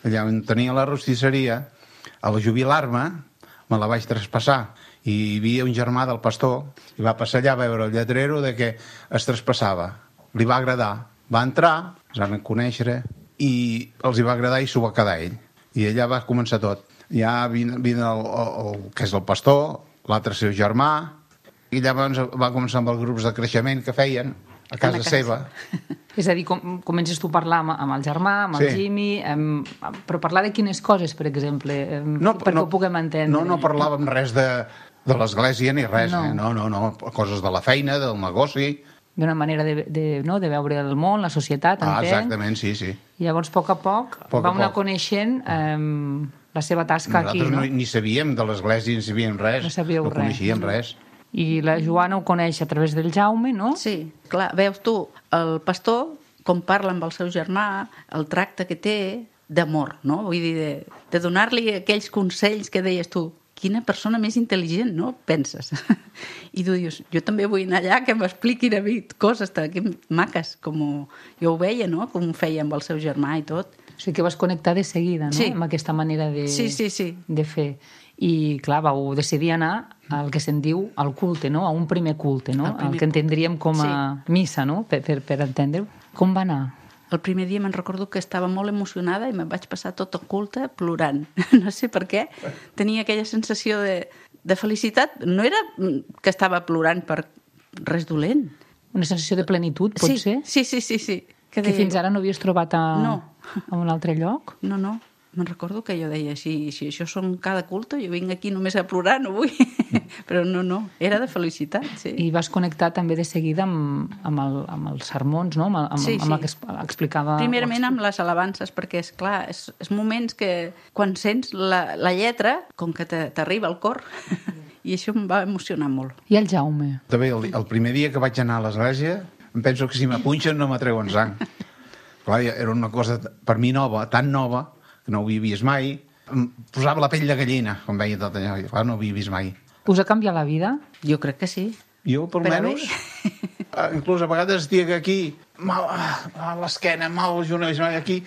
Allà on tenia la rostisseria, a la jubilar-me, me la vaig traspassar. I hi havia un germà del pastor, i va passar allà a veure el lletrero de que es traspassava. Li va agradar. Va entrar, es van conèixer, i els hi va agradar i s'ho va quedar ell. I allà va començar tot. Ja vine, vine el, el, el, que és el pastor, l'altre seu germà, i llavors va començar amb els grups de creixement que feien a casa, casa. seva. És a dir, com, comences tu a parlar amb, amb el germà, amb Sí. el Jimmy, em, però parlar de quines coses, per exemple, em, No, perquè no, ho puguem entendre. No, no parlàvem res de, de l'església ni res. No. No. Eh? no, no, no, coses de la feina, del negoci. D'una manera de, de, no, de veure el món, la societat, Ah, entenc. exactament, sí, sí. I llavors, a poc a poc, Poc a vam anar poc. coneixent eh, la seva tasca aquí, Nosaltres no? no, ni sabíem de l'església, ni sabíem res. No sabíeu no res. coneixíem res. I la Joana ho coneix a través del Jaume, no? Sí, clar, veus tu, el pastor, com parla amb el seu germà, el tracte que té d'amor, no? Vull dir, de, de donar-li aquells consells que deies tu, quina persona més intel·ligent, no? Penses. I tu dius, jo també vull anar allà que m'expliquin a mi coses tan maques, com jo ho veia, no? Com ho feia amb el seu germà i tot. O sigui que vas connectar de seguida, no? Sí. Amb aquesta manera de, Sí, sí, sí. de fer. I, clar, vau decidir anar al que se'n diu el culte, no? A un primer culte, no? El primer El que entendríem com a Sí. missa, no? Per, per, per entendre-ho. Com va anar? El primer dia me'n recordo que estava molt emocionada i me'n vaig passar tot el culte plorant. No sé per què. Tenia aquella sensació de, de felicitat. No era que estava plorant per res dolent. Una sensació de plenitud, pot sí, ser? Sí, sí, sí. sí. Que, que fins ara no havies trobat a, No. a un altre lloc? No, no. Me'n recordo que jo deia, si, si això són cada culte, jo vinc aquí només a plorar, no vull. Però no, no, era de felicitat, sí. I vas connectar també de seguida amb, amb, el, amb els sermons, no? Amb, amb, sí, amb sí. el que explicava... Primerament amb les alabances, perquè, és clar, és, és moments que quan sents la, la lletra, com que t'arriba al cor, i això em va emocionar molt. I el Jaume? També, el, el primer dia que vaig anar a l'església, em penso que si m'apunxen no m'atreuen sang. Clar, era una cosa per mi nova, tan nova, que no ho havia vist mai. Em posava la pell de gallina, com veia tot allò. Clar, no ho havia vist mai. Us ha canviat la vida? Jo crec que sí. Jo, per almenys, inclús a vegades estic aquí, mal a l'esquena, mal als genolls, aquí,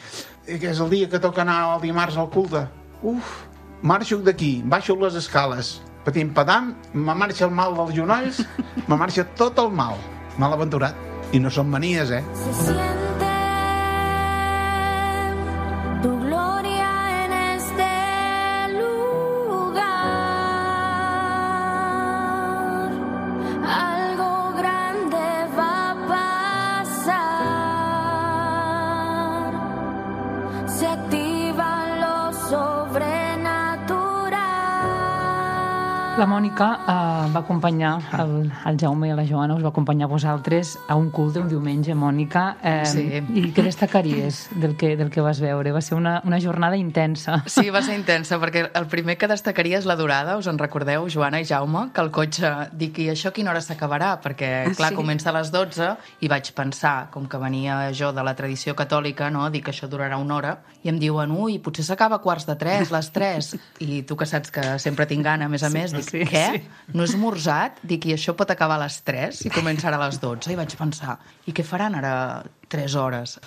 que és el dia que toca anar el dimarts al culte. Uf, marxo d'aquí, baixo les escales, patim patam, me marxa el mal dels genolls, me marxa tot el mal. Mal aventurat. I no són manies, eh? Se siente tu gloria en este lugar. Algo grande va a pasar. Se activa lo sobrenatural. La Mònica eh, va acompanyar el, el Jaume i la Joana, us va acompanyar a vosaltres a un culte un diumenge, Mònica. Eh, Sí. I què destacaries del que, del que vas veure? Va ser una, una jornada intensa. Sí, va ser intensa, perquè el primer que destacaria és la durada, us en recordeu, Joana i Jaume, que el cotxe, dic, i això a quina hora s'acabarà? Perquè, clar, Sí. comença a les dotze, i vaig pensar, com que venia jo de la tradició catòlica, no?, dic que això durarà una hora, i em diuen, ui, potser s'acaba a quarts de tres, les tres, i tu que saps que sempre tinc gana, a més a més, dic, sí, què? sí. No és esmorzat? Dic, i això pot acabar a les tres i començarà a les dotze? I vaig pensar, i què faran ara tres hores?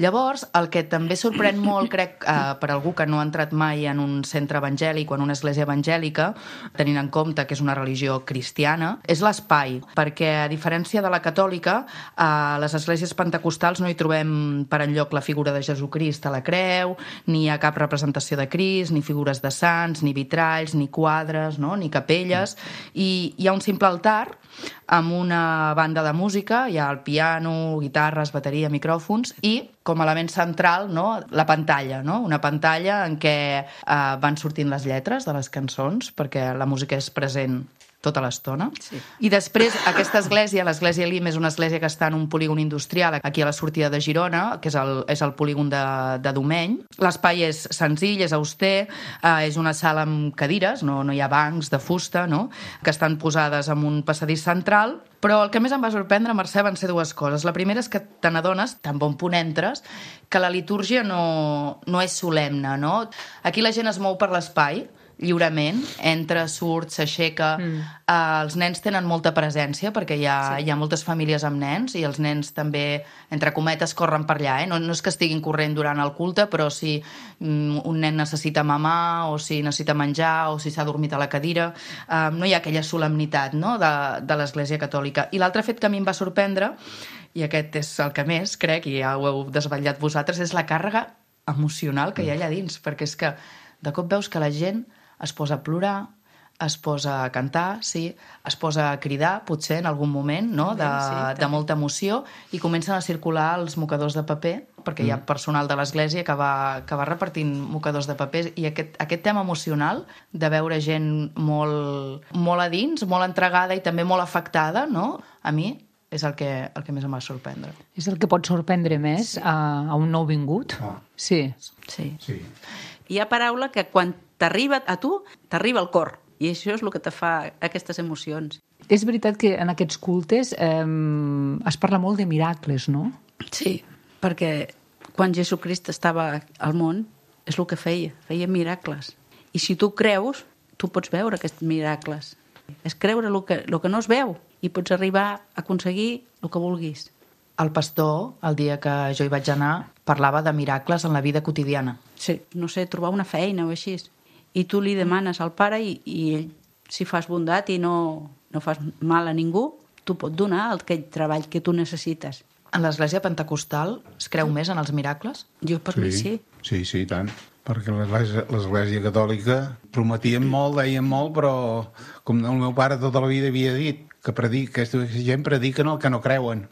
Llavors, el que també sorprèn molt, crec, eh, per algú que no ha entrat mai en un centre evangèlic o en una església evangèlica, tenint en compte que és una religió cristiana, és l'espai, perquè a diferència de la catòlica, a les esglésies pentecostals no hi trobem per enlloc la figura de Jesucrist a la creu, ni hi ha cap representació de Crist, ni figures de sants, ni vitralls, ni quadres, no?, ni capelles, i hi ha un simple altar amb una banda de música, hi ha el piano, guitarres, bateria, micròfons, i com a element central, no?, la pantalla, no?, una pantalla en què eh, van sortint les lletres de les cançons, perquè la música és present tota l'estona. Sí. I després, aquesta església, l'església Elim, és una església que està en un polígon industrial, aquí a la sortida de Girona, que és el, és el polígon de, de Domeny. L'espai és senzill, és auster, eh, és una sala amb cadires, no, no hi ha bancs de fusta, no?, que estan posades en un passadís central, però el que més em va sorprendre, Mercè, van ser dues coses. La primera és que te n'adones, tan bon punt entres, que la litúrgia no, no és solemne, no? Aquí la gent es mou per l'espai, lliurement, entra, surt, s'aixeca. Mm. Eh, els nens tenen molta presència perquè hi ha, sí. hi ha moltes famílies amb nens i els nens també, entre cometes, corren per allà. Eh? No, no és que estiguin corrent durant el culte, però si mm, un nen necessita mamar o si necessita menjar o si s'ha dormit a la cadira, eh, no hi ha aquella solemnitat, no?, de, de l'Església Catòlica. I l'altre fet que a mi em va sorprendre, i aquest és el que més, crec, i ja ho heu desvetllat vosaltres, és la càrrega emocional que hi ha allà dins, perquè és que de cop veus que la gent es posa a plorar, es posa a cantar, sí, es posa a cridar, potser en algun moment, no?, de, sí, de molta emoció, i comencen a circular els mocadors de paper, perquè hi ha personal de l'església que va, que va repartint mocadors de paper, i aquest, aquest tema emocional de veure gent molt, molt a dins, molt entregada i també molt afectada, no?, a mi és el que, el que més em va sorprendre. És el que pot sorprendre més sí. a, a un nou vingut? Ah. Sí. Sí. Sí. Hi ha paraula que quan t'arriba a tu, t'arriba al cor. I això és el que te fa aquestes emocions. És veritat que en aquests cultes eh, es parla molt de miracles, no? Sí, perquè quan Jesucrist estava al món, és el que feia, feia miracles. I si tu creus, tu pots veure aquests miracles. És creure el que, el que no es veu i pots arribar a aconseguir el que vulguis. El pastor, el dia que jo hi vaig anar, parlava de miracles en la vida quotidiana. Sí, no sé, trobar una feina o així. I tu li demanes al pare i, i ell, si fas bondat i no, no fas mal a ningú, tu pot donar aquell treball que tu necessites. En l'església pentecostal es creu més en els miracles? Jo per sí, mi sí. Sí, sí, tant. Perquè l'església, l'església catòlica prometien molt, deien molt, però com el meu pare tota la vida havia dit, que predic, aquesta gent prediquen el que no creuen.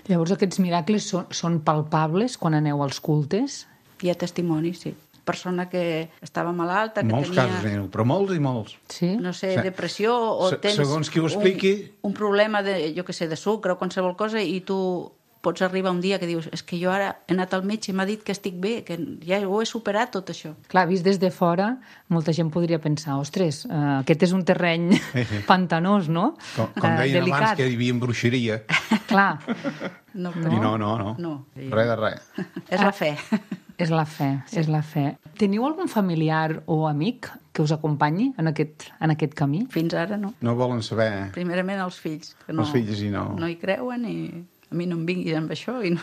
Llavors aquests miracles són, són palpables quan aneu als cultes? Hi ha testimonis, sí. persona que estava malalta, que Molts tenia... casos, neno, però molts i molts. Sí? No sé, Sí. depressió, o Se- tens segons qui ho expliqui. un, un problema de, jo que sé, de sucre o qualsevol cosa, i tu pots arribar un dia que dius, és que jo ara he anat al metge i m'ha dit que estic bé, que ja ho he superat tot això. Clar, vist des de fora, molta gent podria pensar, ostres, eh, aquest és un terreny pantanós, no? Com, com Eh, deien delicat. abans, que hi havia bruixeria. Clar. No, I no, no, no. no. Res de res. És la fe. És la fe, sí. és la fe. Teniu algun familiar o amic que us acompanyi en aquest, en aquest camí? Fins ara no. No volen saber. Primerament els fills, que no, Els fills i no. no hi creuen i a mi no em vinguis amb això i no...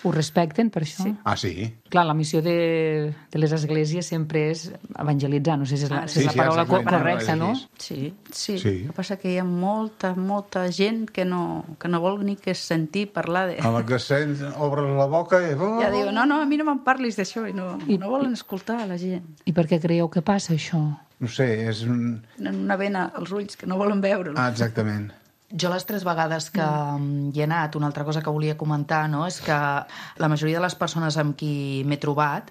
Ho respecten per això? Sí. Ah, sí? Clar, la missió de, de les esglésies sempre és evangelitzar, no sé si és la, Ah, si és sí, la sí, paraula exactament. correcta, no? Sí, sí. Sí. El que passa que hi ha molta, molta gent que no, que no vol ni que sentir parlar de... A la que sents, obres la boca i... Ja diu, no, no, a mi no me'n parlis d'això, i no, I... no volen escoltar la gent. I per què creieu que passa això? No sé, és un... Tenen una vena als ulls que no volen veure-lo. Ah, exactament. Jo les tres vegades que mm. hi he anat, una altra cosa que volia comentar, no, és que la majoria de les persones amb qui m'he trobat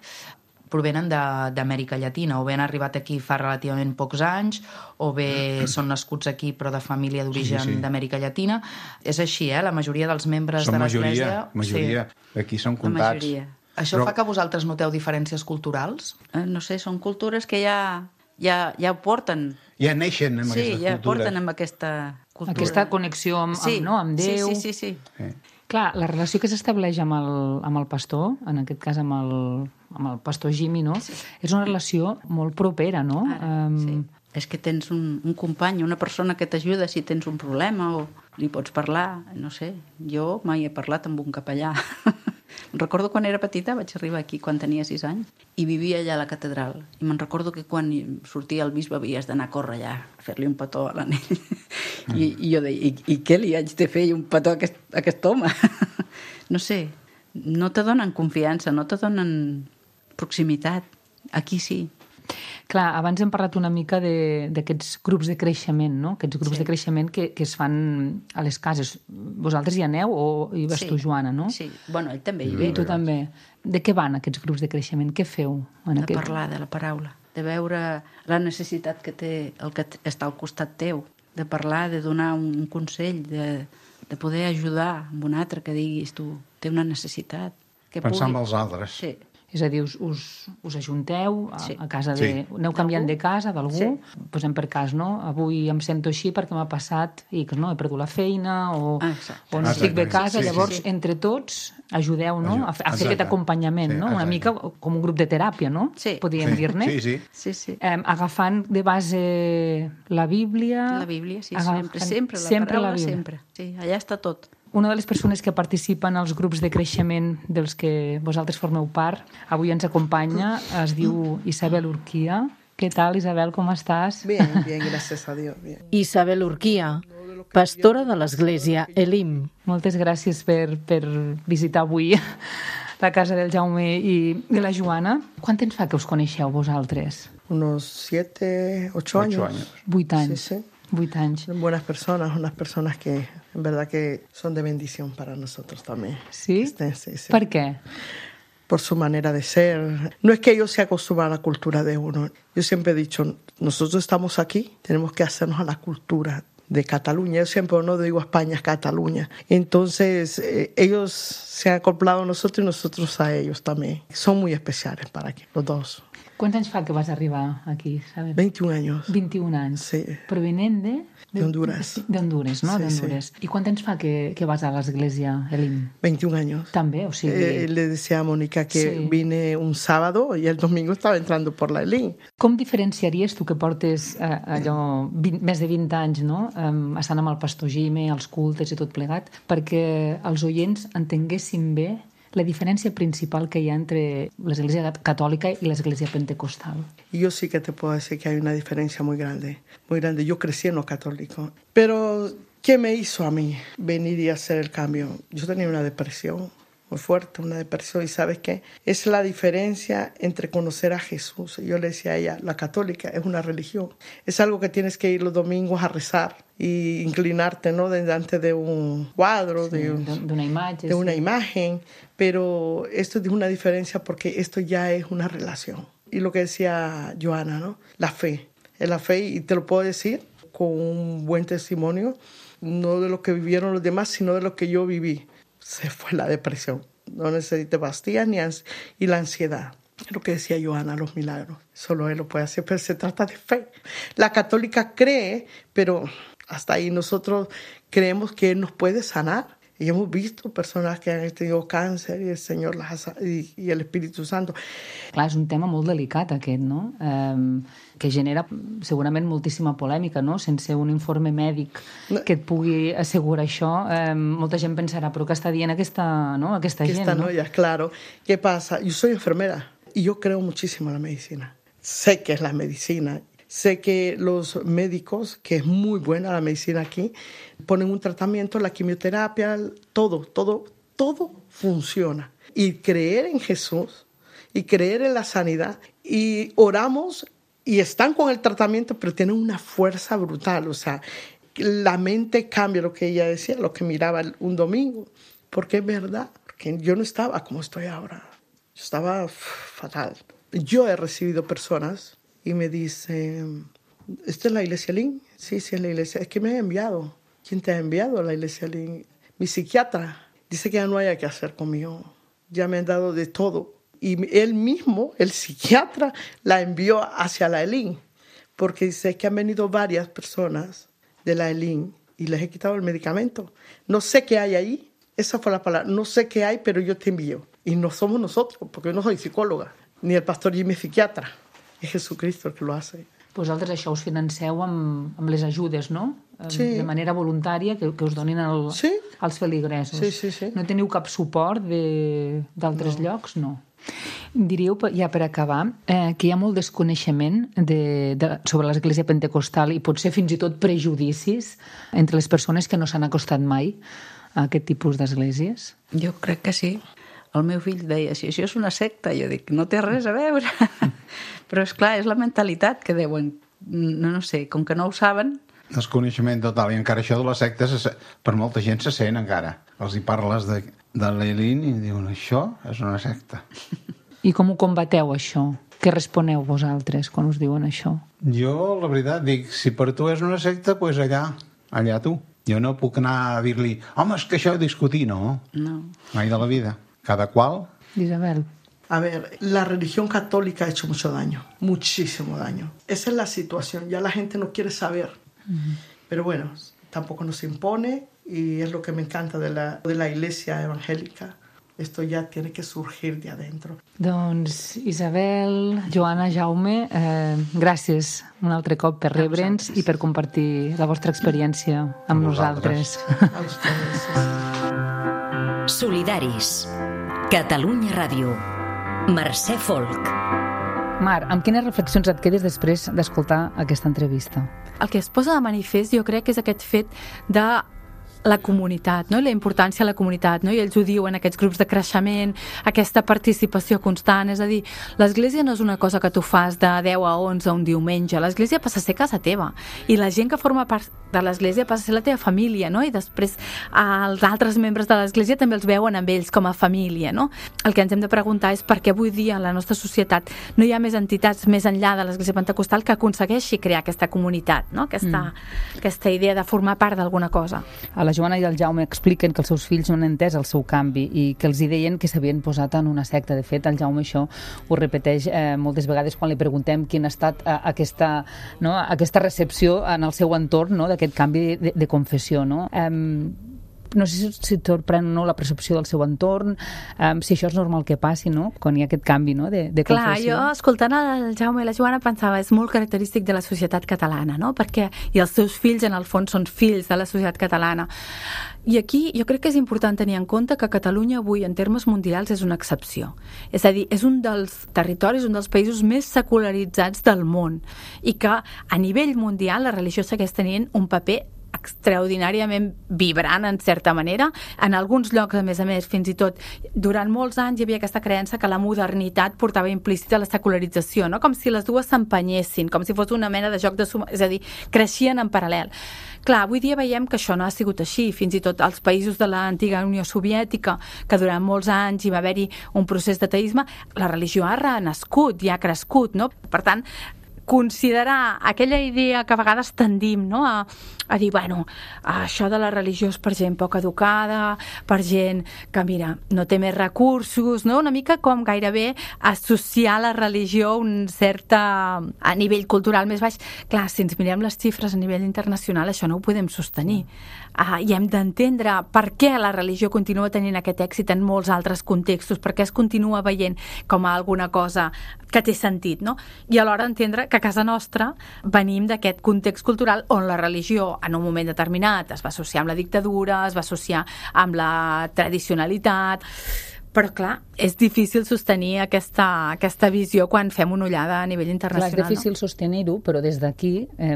provenen d'Amèrica Llatina, o bé han arribat aquí fa relativament pocs anys, o bé són nascuts aquí però de família d'origen Sí, sí. d'Amèrica Llatina. És així, eh? La majoria dels membres Són de majoria, l'Església... majoria. Sí. Aquí són La comptats. majoria. Això Però- fa que vosaltres noteu diferències culturals? Eh, no sé, són cultures que ja, ja, ja ho porten. Ja neixen amb Sí, aquestes ja cultures. porten amb aquesta cultura. Aquesta connexió amb, Sí, amb, no, amb Déu. Sí, sí, sí. sí. Sí. Clar, la relació que s'estableix amb, el, amb el pastor, en aquest cas amb el, amb el pastor Jimmy, no? Sí. És una relació molt propera, no? Ara, um, sí. És que tens un, un company, una persona que t'ajuda si tens un problema o li pots parlar, no sé. Jo mai he parlat amb un capellà. Recordo quan era petita, vaig arribar aquí quan tenia sis anys i vivia allà a la catedral. I me'n recordo que quan sortia el bisbe havies d'anar a córrer allà, a fer-li un petó a l'anell. I, I jo deia, i, i què li haig de fer un petó a aquest, a aquest home? No sé, no te donen confiança, no te donen proximitat. Aquí sí. Clar, abans hem parlat una mica de- d'aquests grups de creixement, no? Aquests grups Sí. de creixement que, que es fan a les cases. Vosaltres hi aneu o hi vas Sí. tu, Joana, no? Sí, bueno, ell també hi I ve. tu també. De què van aquests grups de creixement? Què feu? En De aquest... parlar de la paraula, de veure la necessitat que té el que t- està al costat teu, de parlar, de donar un consell, de, de poder ajudar amb un altre que diguis tu, té una necessitat. Que Pensar pugui... en els altres. Sí. És a dir, us, us, us ajunteu a, Sí. a casa de... Sí. Aneu canviant de casa, d'algú? Sí. Posem per cas, no? Avui em sento així perquè m'ha passat X, no? He perdut la feina o, Ah, exacte. o no estic bé a casa. Sí, sí, Llavors, sí. entre tots, ajudeu, no? A, f- a fer Exacte. aquest acompanyament, Sí, no? Una exacte. mica com un grup de teràpia, no? Sí. Podríem Sí, dir-ne. sí, sí. Sí, sí. Eh, agafant de base la Bíblia... La Bíblia, sí, agafant sempre, sempre, la sempre paraula, la Bíblia. sempre. Sí, allà està tot. Una de les persones que participen als grups de creixement dels que vosaltres formeu part, avui ens acompanya, es diu Isabel Urquia. Què tal, Isabel, com estàs? Bien, bien, gracias a Dios. Bien. Isabel Urquia, pastora de l'església Elim. Moltes gràcies per, per visitar avui la casa del Jaume i de la Joana. Quant temps fa que us coneixeu vosaltres? Unos siete, ocho, Ocho años. años. Vuit Sí, anys. sí. Vuit anys. Son buenas personas, unas personas que en verdad que son de bendición para nosotros también. Sí? Este, sí, sí. Per què? Por su manera de ser. No es que ellos se acostumbran a la cultura de uno. Yo siempre he dicho, nosotros estamos aquí, tenemos que hacernos a la cultura de Cataluña. Yo siempre no digo España, es Cataluña. Entonces, eh, ellos se han acoplado a nosotros y nosotros a ellos también. Son muy especiales para aquí, los dos. Quants anys fa que vas arribar aquí, Isabel? veintiún años. vint-i-un anys. Sí. Provenent de... De Honduras. De Honduras, no? Sí, D'Honduras. I quant temps fa que, que vas a l'església, Elim? veintiún años. També, o sigui... Eh, le decía a Mónica que Sí. vine un sábado y el domingo estaba entrando por la Elín. Com diferenciaries tu que portes eh, allò vint, més de vint anys, no? Um, estant amb el pastor Jimmy, els cultes i tot plegat, perquè els oients entenguessin bé la diferència principal que hi ha entre l'església catòlica i l'església pentecostal. Y yo sí que te puedo decir que hay una diferencia muy grande, muy grande. Yo crecí en lo católico. Pero, ¿qué me hizo a mí venir y hacer el cambio? Yo tenía una depresión muy fuerte, una depresión. ¿Y sabes qué? Es la diferencia entre conocer a Jesús. Yo le decía a ella, la católica es una religión. Es algo que tienes que ir los domingos a rezar y inclinarte, ¿no? Delante de un cuadro, sí, de, un, de una imagen. De una sí. imagen. Pero esto es una diferencia porque esto ya es una relación. Y lo que decía Joana, ¿no? La fe. Es la fe, y te lo puedo decir con un buen testimonio, no de lo que vivieron los demás, sino de lo que yo viví. Se fue la depresión. No necesité pastillas ni ans- y la ansiedad. Lo que decía Joana, los milagros. Solo Él lo puede hacer, pero se trata de fe. La católica cree, pero hasta ahí nosotros creemos que Él nos puede sanar. Y hemos visto persones que han tenido càncer i el Senyor las ha, i, i l'Espíritu Santo. Clar, és un tema molt delicat aquest, no? Um, que genera segurament moltíssima polèmica, no? Sense un informe mèdic que et pugui assegurar això, um, molta gent pensarà, però què està dient aquesta, no? aquesta que gent, esta no? Noia, claro. ¿Qué pasa? Yo soy enfermera y yo creo muchísimo en la medicina. Sé que es la medicina. Sé que los médicos, que es muy buena la medicina aquí, ponen un tratamiento, la quimioterapia, todo, todo, todo funciona. Y creer en Jesús y creer en la sanidad. Y oramos y están con el tratamiento, pero tienen una fuerza brutal. O sea, la mente cambia, lo que ella decía, lo que miraba un domingo. Porque es verdad, porque yo no estaba como estoy ahora. Yo estaba uf, fatal. Yo he recibido personas y me dice, ¿esta es la iglesia Lin? Sí, sí, es la iglesia. Es que me ha enviado. ¿Quién te ha enviado a la iglesia Lin? Mi psiquiatra. Dice que ya no hay que hacer conmigo. Ya me han dado de todo. Y él mismo, el psiquiatra, la envió hacia la Elín. Porque dice que han venido varias personas de la Elín y les he quitado el medicamento. No sé qué hay ahí. Esa fue la palabra. No sé qué hay, pero yo te envío. Y no somos nosotros, porque yo no soy psicóloga. Ni el pastor Jimmy es psiquiatra. És Jesucristo el que lo hace. Vosaltres això us financeu amb, amb les ajudes, no? Sí. De manera voluntària, que, que us donin el, sí. els feligresos. Sí, sí, sí. No teniu cap suport d'altres no. llocs? No. Diríeu, ja per acabar, eh, que hi ha molt desconeixement de, de, sobre l'Església Pentecostal i potser fins i tot prejudicis entre les persones que no s'han acostat mai a aquest tipus d'esglésies? Jo crec que sí. El meu fill deia, si això és una secta, jo dic, no té res a veure. Però és clar, és la mentalitat que deuen, no, no sé, com que no ho saben. Desconeixement total, i encara això de les sectes, per molta gent se sent encara. Els hi parles de, de l'Elín i diuen, això és una secta. I com ho combateu, això? Què responeu vosaltres quan us diuen això? Jo, la veritat, dic, si per tu és una secta, doncs allà, allà tu. Jo no puc anar a dir-li, home, és que això és discutir, no. No. Mai de la vida. Cada cual. Isabel. A ver, la religión católica ha hecho mucho daño, muchísimo daño. Esa es la situación, ya la gente no quiere saber. Uh-huh. Pero bueno, tampoco nos impone y es lo que me encanta de la, de la iglesia evangélica. Esto ya tiene que surgir de adentro. Doncs Isabel, Joana, Jaume, eh, gràcies un altre cop per rebre'ns i per compartir la vostra experiència amb nosaltres. A ustedes. Solidaris. Catalunya Ràdio. Mercè Folk. Mar, amb quines reflexions et quedes després d'escoltar aquesta entrevista? El que es posa de manifest jo crec que és aquest fet de la comunitat, no? I la importància de la comunitat, no? I ells ho diuen, aquests grups de creixement, aquesta participació constant, és a dir, l'església no és una cosa que tu fas de deu a onze un diumenge, l'església passa a ser casa teva, i la gent que forma part de l'església passa a ser la teva família, no? I després els altres membres de l'església també els veuen amb ells com a família, no? El que ens hem de preguntar és per què avui dia en la nostra societat no hi ha més entitats més enllà de l'església pentecostal que aconsegueixi crear aquesta comunitat, no? Aquesta, mm. aquesta idea de formar part d'alguna cosa. A la Joana i el Jaume expliquen que els seus fills no han entès el seu canvi i que els hi deien que s'havien posat en una secta. De fet, el Jaume això ho repeteix eh, moltes vegades quan li preguntem quina ha estat eh, aquesta, no, aquesta recepció en el seu entorn, no, d'aquest canvi de, de confessió. No? Eh, no sé si et sorprèn o no la percepció del seu entorn, um, si això és normal que passi, no? Quan hi ha aquest canvi, no? de, de Clar, confessió. jo, escoltant el Jaume i la Joana, pensava, és molt característic de la societat catalana, no? Perquè, i els seus fills, en el fons, són fills de la societat catalana. I aquí jo crec que és important tenir en compte que Catalunya avui, en termes mundials, és una excepció. És a dir, és un dels territoris, un dels països més secularitzats del món i que, a nivell mundial, la religió segueix tenint un paper extraordinàriament vibrant, en certa manera. En alguns llocs, a més a més, fins i tot, durant molts anys hi havia aquesta creença que la modernitat portava implícita la secularització, no? Com si les dues s'empenyessin, com si fos una mena de joc de suma, és a dir, creixien en paral·lel. Clar, avui dia veiem que això no ha sigut així. Fins i tot als països de l'antiga Unió Soviètica, que durant molts anys hi va haver-hi un procés d'ateisme, la religió ha renascut i ha crescut, no? Per tant, considerar aquella idea que a vegades tendim, no? a, a dir, bueno, això de la religió és per gent poc educada, per gent que, mira, no té més recursos, no? Una mica com gairebé associar la religió a un cert a nivell cultural més baix. Clar, si ens mirem les xifres a nivell internacional, això no ho podem sostenir. Uh, I hem d'entendre per què la religió continua tenint aquest èxit en molts altres contextos, per què es continua veient com a alguna cosa que té sentit, no? I alhora entendre que a casa nostra venim d'aquest context cultural on la religió en un moment determinat es va associar amb la dictadura, es va associar amb la tradicionalitat, però clar, és difícil sostenir aquesta, aquesta visió quan fem una ullada a nivell internacional. Clar, és difícil no? sostenir-ho, però des d'aquí eh,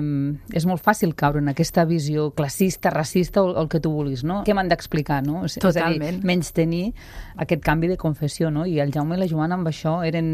és molt fàcil caure en aquesta visió classista, racista o el que tu vulguis, no? Què m'han d'explicar, no? És, Totalment. És a dir, menys tenir aquest canvi de confessió, no? I el Jaume i la Joana amb això eren,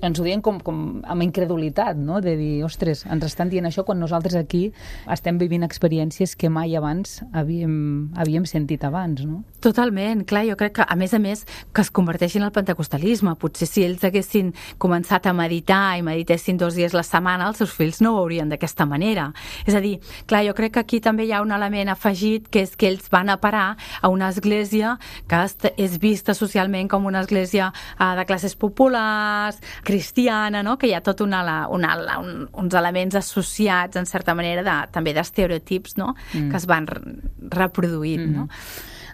ens ho diuen com, com amb incredulitat, no? De dir, ostres, ens estan dient això quan nosaltres aquí estem vivint experiències que mai abans havíem, havíem sentit abans, no? Totalment, clar, jo crec que a més a més que es converteixin al pentecostalisme. Potser si ells haguessin començat a meditar i meditessin dos dies la setmana, els seus fills no ho haurien d'aquesta manera. És a dir, clar, jo crec que aquí també hi ha un element afegit, que és que ells van a parar a una església que és vista socialment com una església uh, de classes populars, cristiana, no? Que hi ha tot una, una, un, uns elements associats, en certa manera, de, també d'estereotips, no? Mm. Que es van reproduint, mm. no?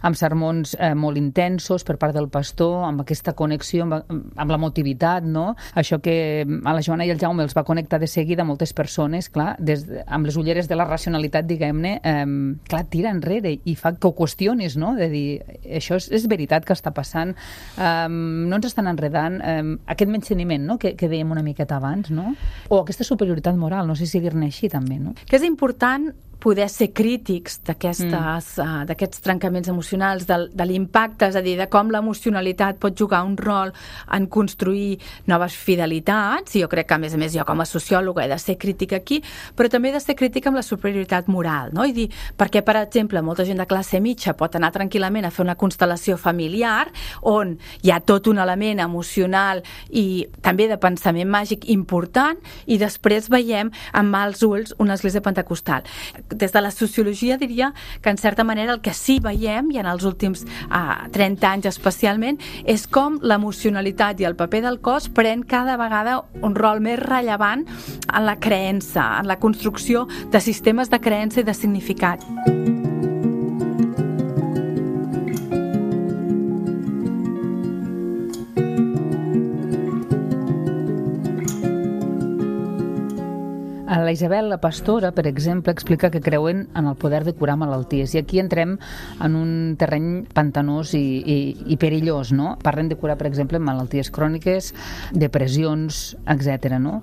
Amb sermons eh, molt intensos per part del pastor, amb aquesta connexió amb, amb l'emotivitat, no? Això que a la Joana i el Jaume els va connectar de seguida moltes persones, clar, des, amb les ulleres de la racionalitat, diguem-ne, eh, clar, tira enrere i fa que ho qüestionis, no? De dir, això és, és veritat que està passant, eh, no ens estan enredant, eh, aquest menysteniment, no? Que, que dèiem una miqueta abans, no? O aquesta superioritat moral, no sé si dir-ne així també, no? Que és important poder ser crítics d'aquestes, mm. uh, d'aquests trencaments emocionals, de, de l'impacte, és a dir, de com l'emocionalitat pot jugar un rol en construir noves fidelitats. I jo crec que, a més a més, jo com a sociòloga he de ser crítica aquí, però també he de ser crítica amb la superioritat moral, no? I dir, perquè, per exemple, molta gent de classe mitja pot anar tranquil·lament a fer una constel·lació familiar on hi ha tot un element emocional i també de pensament màgic important, i després veiem amb mals ulls una església pentecostal. Des de la sociologia diria que en certa manera el que sí veiem, i en els últims uh, trenta anys especialment, és com l'emocionalitat i el paper del cos pren cada vegada un rol més rellevant en la creença, en la construcció de sistemes de creença i de significat. La Isabel, la pastora, per exemple, explica que creuen en el poder de curar malalties. I aquí entrem en un terreny pantanós i, i, i perillós, no? Parlen de curar, per exemple, malalties cròniques, depressions, etcètera, no?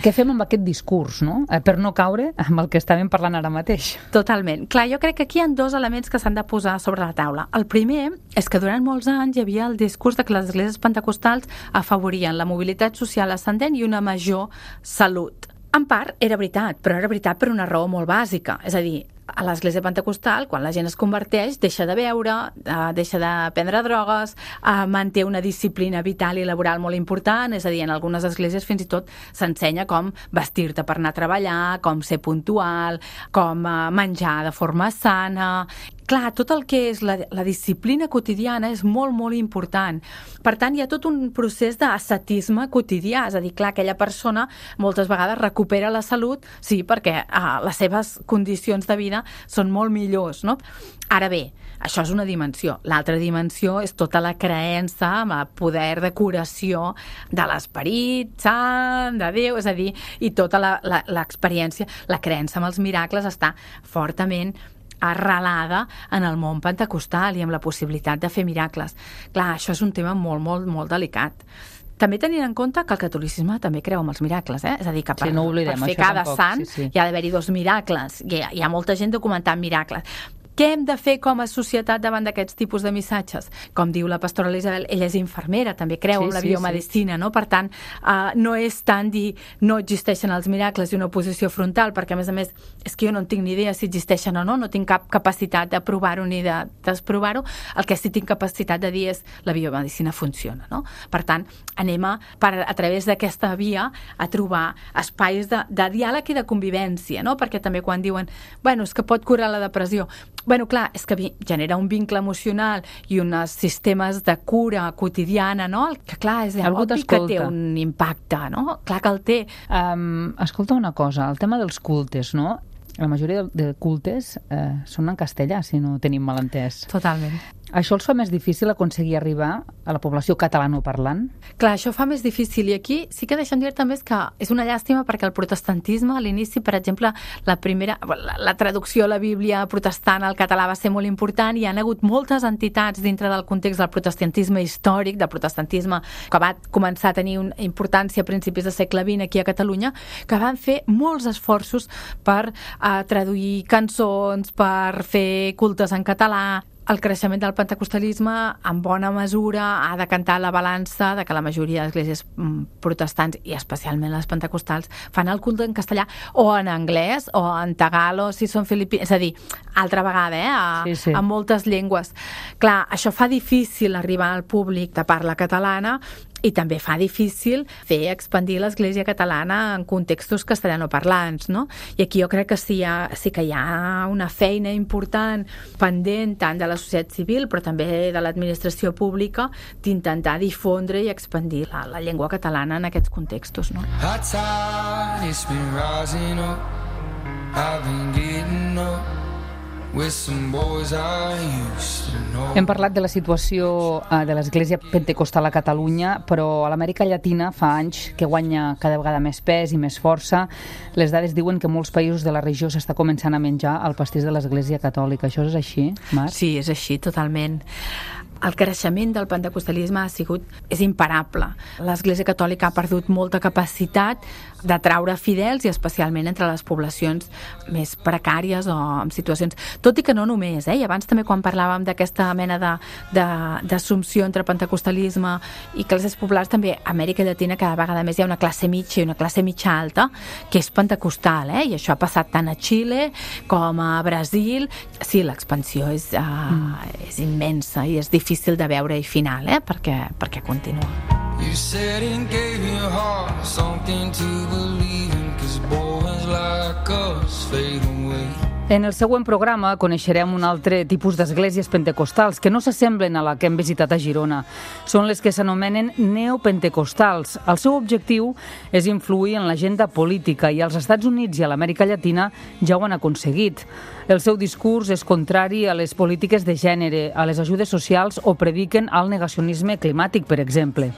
Què fem amb aquest discurs, no? Per no caure amb el que estàvem parlant ara mateix. Totalment. Clar, jo crec que aquí hi ha dos elements que s'han de posar sobre la taula. El primer és que durant molts anys hi havia el discurs de que les esglésies pentecostals afavorien la mobilitat social ascendent i una major salut. En part era veritat, però era veritat per una raó molt bàsica. És a dir, a l'església pentecostal, quan la gent es converteix, deixa de beure, eh, deixa de prendre drogues, eh, manté una disciplina vital i laboral molt important, és a dir, en algunes esglésies fins i tot s'ensenya com vestir-te per anar a treballar, com ser puntual, com eh, menjar de forma sana. Clar, tot el que és la, la disciplina quotidiana és molt, molt important. Per tant, hi ha tot un procés d'ascetisme quotidià, és a dir, clar, aquella persona moltes vegades recupera la salut, sí, perquè eh, les seves condicions de vida són molt millors, no? Ara bé, això és una dimensió. L'altra dimensió és tota la creença amb el poder de curació de l'esperit sant, de Déu, és a dir, i tota l'experiència, la, la creença amb els miracles està fortament arrelada en el món pentecostal i amb la possibilitat de fer miracles. Clar, això és un tema molt, molt, molt delicat. també tenint en compte que el catolicisme també creu en els miracles, eh? És a dir, que per, sí, no oblidem, per fer això cada tampoc, sant sí, sí. hi ha d'haver-hi dos miracles. Hi ha, hi ha molta gent documentant miracles. Què hem de fer com a societat davant d'aquests tipus de missatges? Com diu la pastora Isabel, ella és infermera, també creu Sí, en la sí, biomedicina, no? Per tant, uh, no és tant dir no existeixen els miracles i una oposició frontal, perquè a més a més és que jo no en tinc ni idea si existeixen o no, no tinc cap capacitat de provar-ho ni de desprovar-ho. El que sí tinc capacitat de dir és la biomedicina funciona, no? Per tant, anem a, per, a través d'aquesta via a trobar espais de, de diàleg i de convivència, no? Perquè també quan diuen, bueno, és que pot curar la depressió. Bueno, clar, és que genera un vincle emocional i uns sistemes de cura quotidiana, no? Que clar, és Algú obvi que té t'escolta. un impacte, no? Clar que el té. Um, escolta una cosa, el tema dels cultes, no? La majoria de, de cultes eh, són en castellà, si no tenim mal entès. Totalment. Això els fa més difícil aconseguir arribar a la població catalanoparlant? Clar, això fa més difícil i aquí sí que deixem dir també és que és una llàstima perquè el protestantisme a l'inici, per exemple, la primera la, la traducció a la Bíblia protestant al català va ser molt important i hi ha hagut moltes entitats dintre del context del protestantisme històric, del protestantisme que va començar a tenir una importància a principis del segle vint aquí a Catalunya, que van fer molts esforços per uh, traduir cançons, per fer cultes en català. El creixement del pentecostalisme en bona mesura ha de cantar la balança de que la majoria d'esglésies protestants i especialment les pentecostals fan el culte en castellà o en anglès o en tagalo si són filipins, és a dir, altra vegada, eh? A, sí, sí. a moltes llengües. Clar, això fa difícil arribar al públic de parla catalana i també fa difícil fer expandir l'església catalana en contextos castellanoparlants, no? I aquí jo crec que sí, ha, sí que hi ha una feina important pendent tant de la societat civil però també de l'administració pública d'intentar difondre i expandir la, la llengua catalana en aquests contextos, no? Hot tide, it's been rising up. I've been getting up with some boys I used to know. Hem parlat de la situació eh, de l'Església Pentecostal a Catalunya, però a l'Amèrica Llatina fa anys que guanya cada vegada més pes i més força. Les dades diuen que molts països de la regió s'està començant a menjar el pastís de l'Església Catòlica. Això és així, Marc? Sí, és així, totalment. El creixement del pentecostalisme ha sigut, és imparable. L'Església Catòlica ha perdut molta capacitat d'atraure fidels i especialment entre les poblacions més precàries o en situacions... Tot i que no només, eh? I abans també quan parlàvem d'aquesta mena d'assumpció entre pentecostalisme i classes populars, també a Amèrica Llatina cada vegada més hi ha una classe mitja i una classe mitja alta que és pentecostal, eh? I això ha passat tant a Xile com a Brasil. Sí, l'expansió és, uh, mm. és immensa i és difícil de veure i final, eh? perquè, perquè continua. You said it gave your heart something to believe in, 'cause boys like us fade away. En el següent programa coneixerem un altre tipus d'esglésies pentecostals que no s'assemblen a la que hem visitat a Girona. Són les que s'anomenen neopentecostals. El seu objectiu és influir en l'agenda política i als Estats Units i a l'Amèrica Llatina ja ho han aconseguit. El seu discurs és contrari a les polítiques de gènere, a les ajudes socials o prediquen el negacionisme climàtic, per exemple.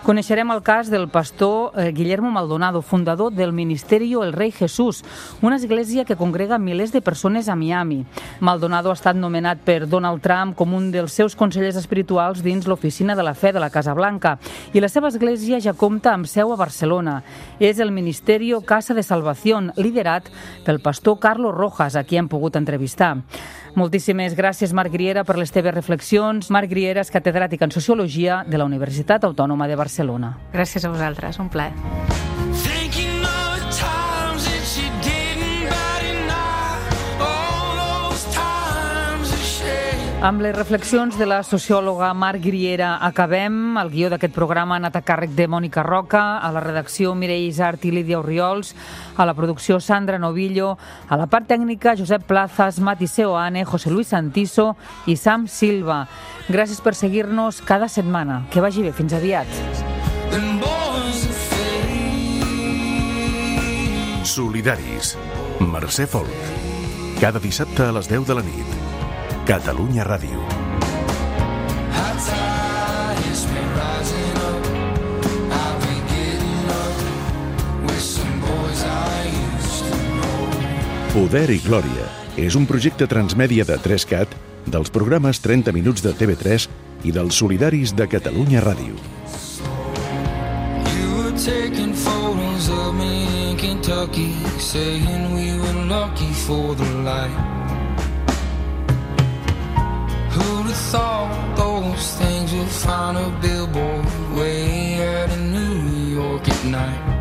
Coneixerem el cas del pastor eh, Guillermo Maldonado, fundador del Ministerio El Rey Jesús, una església que congrega milers de persones a Miami. Maldonado ha estat nomenat per Donald Trump com un dels seus consellers espirituals dins l'oficina de la fe de la Casa Blanca i la seva església ja compta amb seu a Barcelona. És el Ministerio Casa de Salvación, liderat pel pastor Carlos Rojas, a qui hem pogut entrevistar. Moltíssimes gràcies, Marc Griera, per les teves reflexions. Marc Griera és catedràtic en Sociologia de la Universitat Autònoma de Barcelona. Gràcies a vosaltres, un plaer. Thinking of times that you didn't body not, all those times of shame. Amb les reflexions de la sociòloga Marc Griera acabem. El guió d'aquest programa ha anat a càrrec de Mònica Roca, a la redacció Mireia Isart i Lídia Orriols, a la producció Sandra Novillo, a la part tècnica Josep Plazas, Mati Seoane, José Luis Santiso i Sam Silva. Gràcies per seguir-nos cada setmana. Que vagi bé. Fins aviat. Solidaris. Mercè Folk. Cada dissabte a les deu de la nit. Catalunya Ràdio. Poder i Glòria és un projecte transmèdia de tres cat dels programes trenta minuts de T V tres i dels Solidaris de Catalunya Ràdio. taking photos of me in Kentucky, saying we were lucky for the light. Who'd have thought those things would find a billboard way out in New York at night?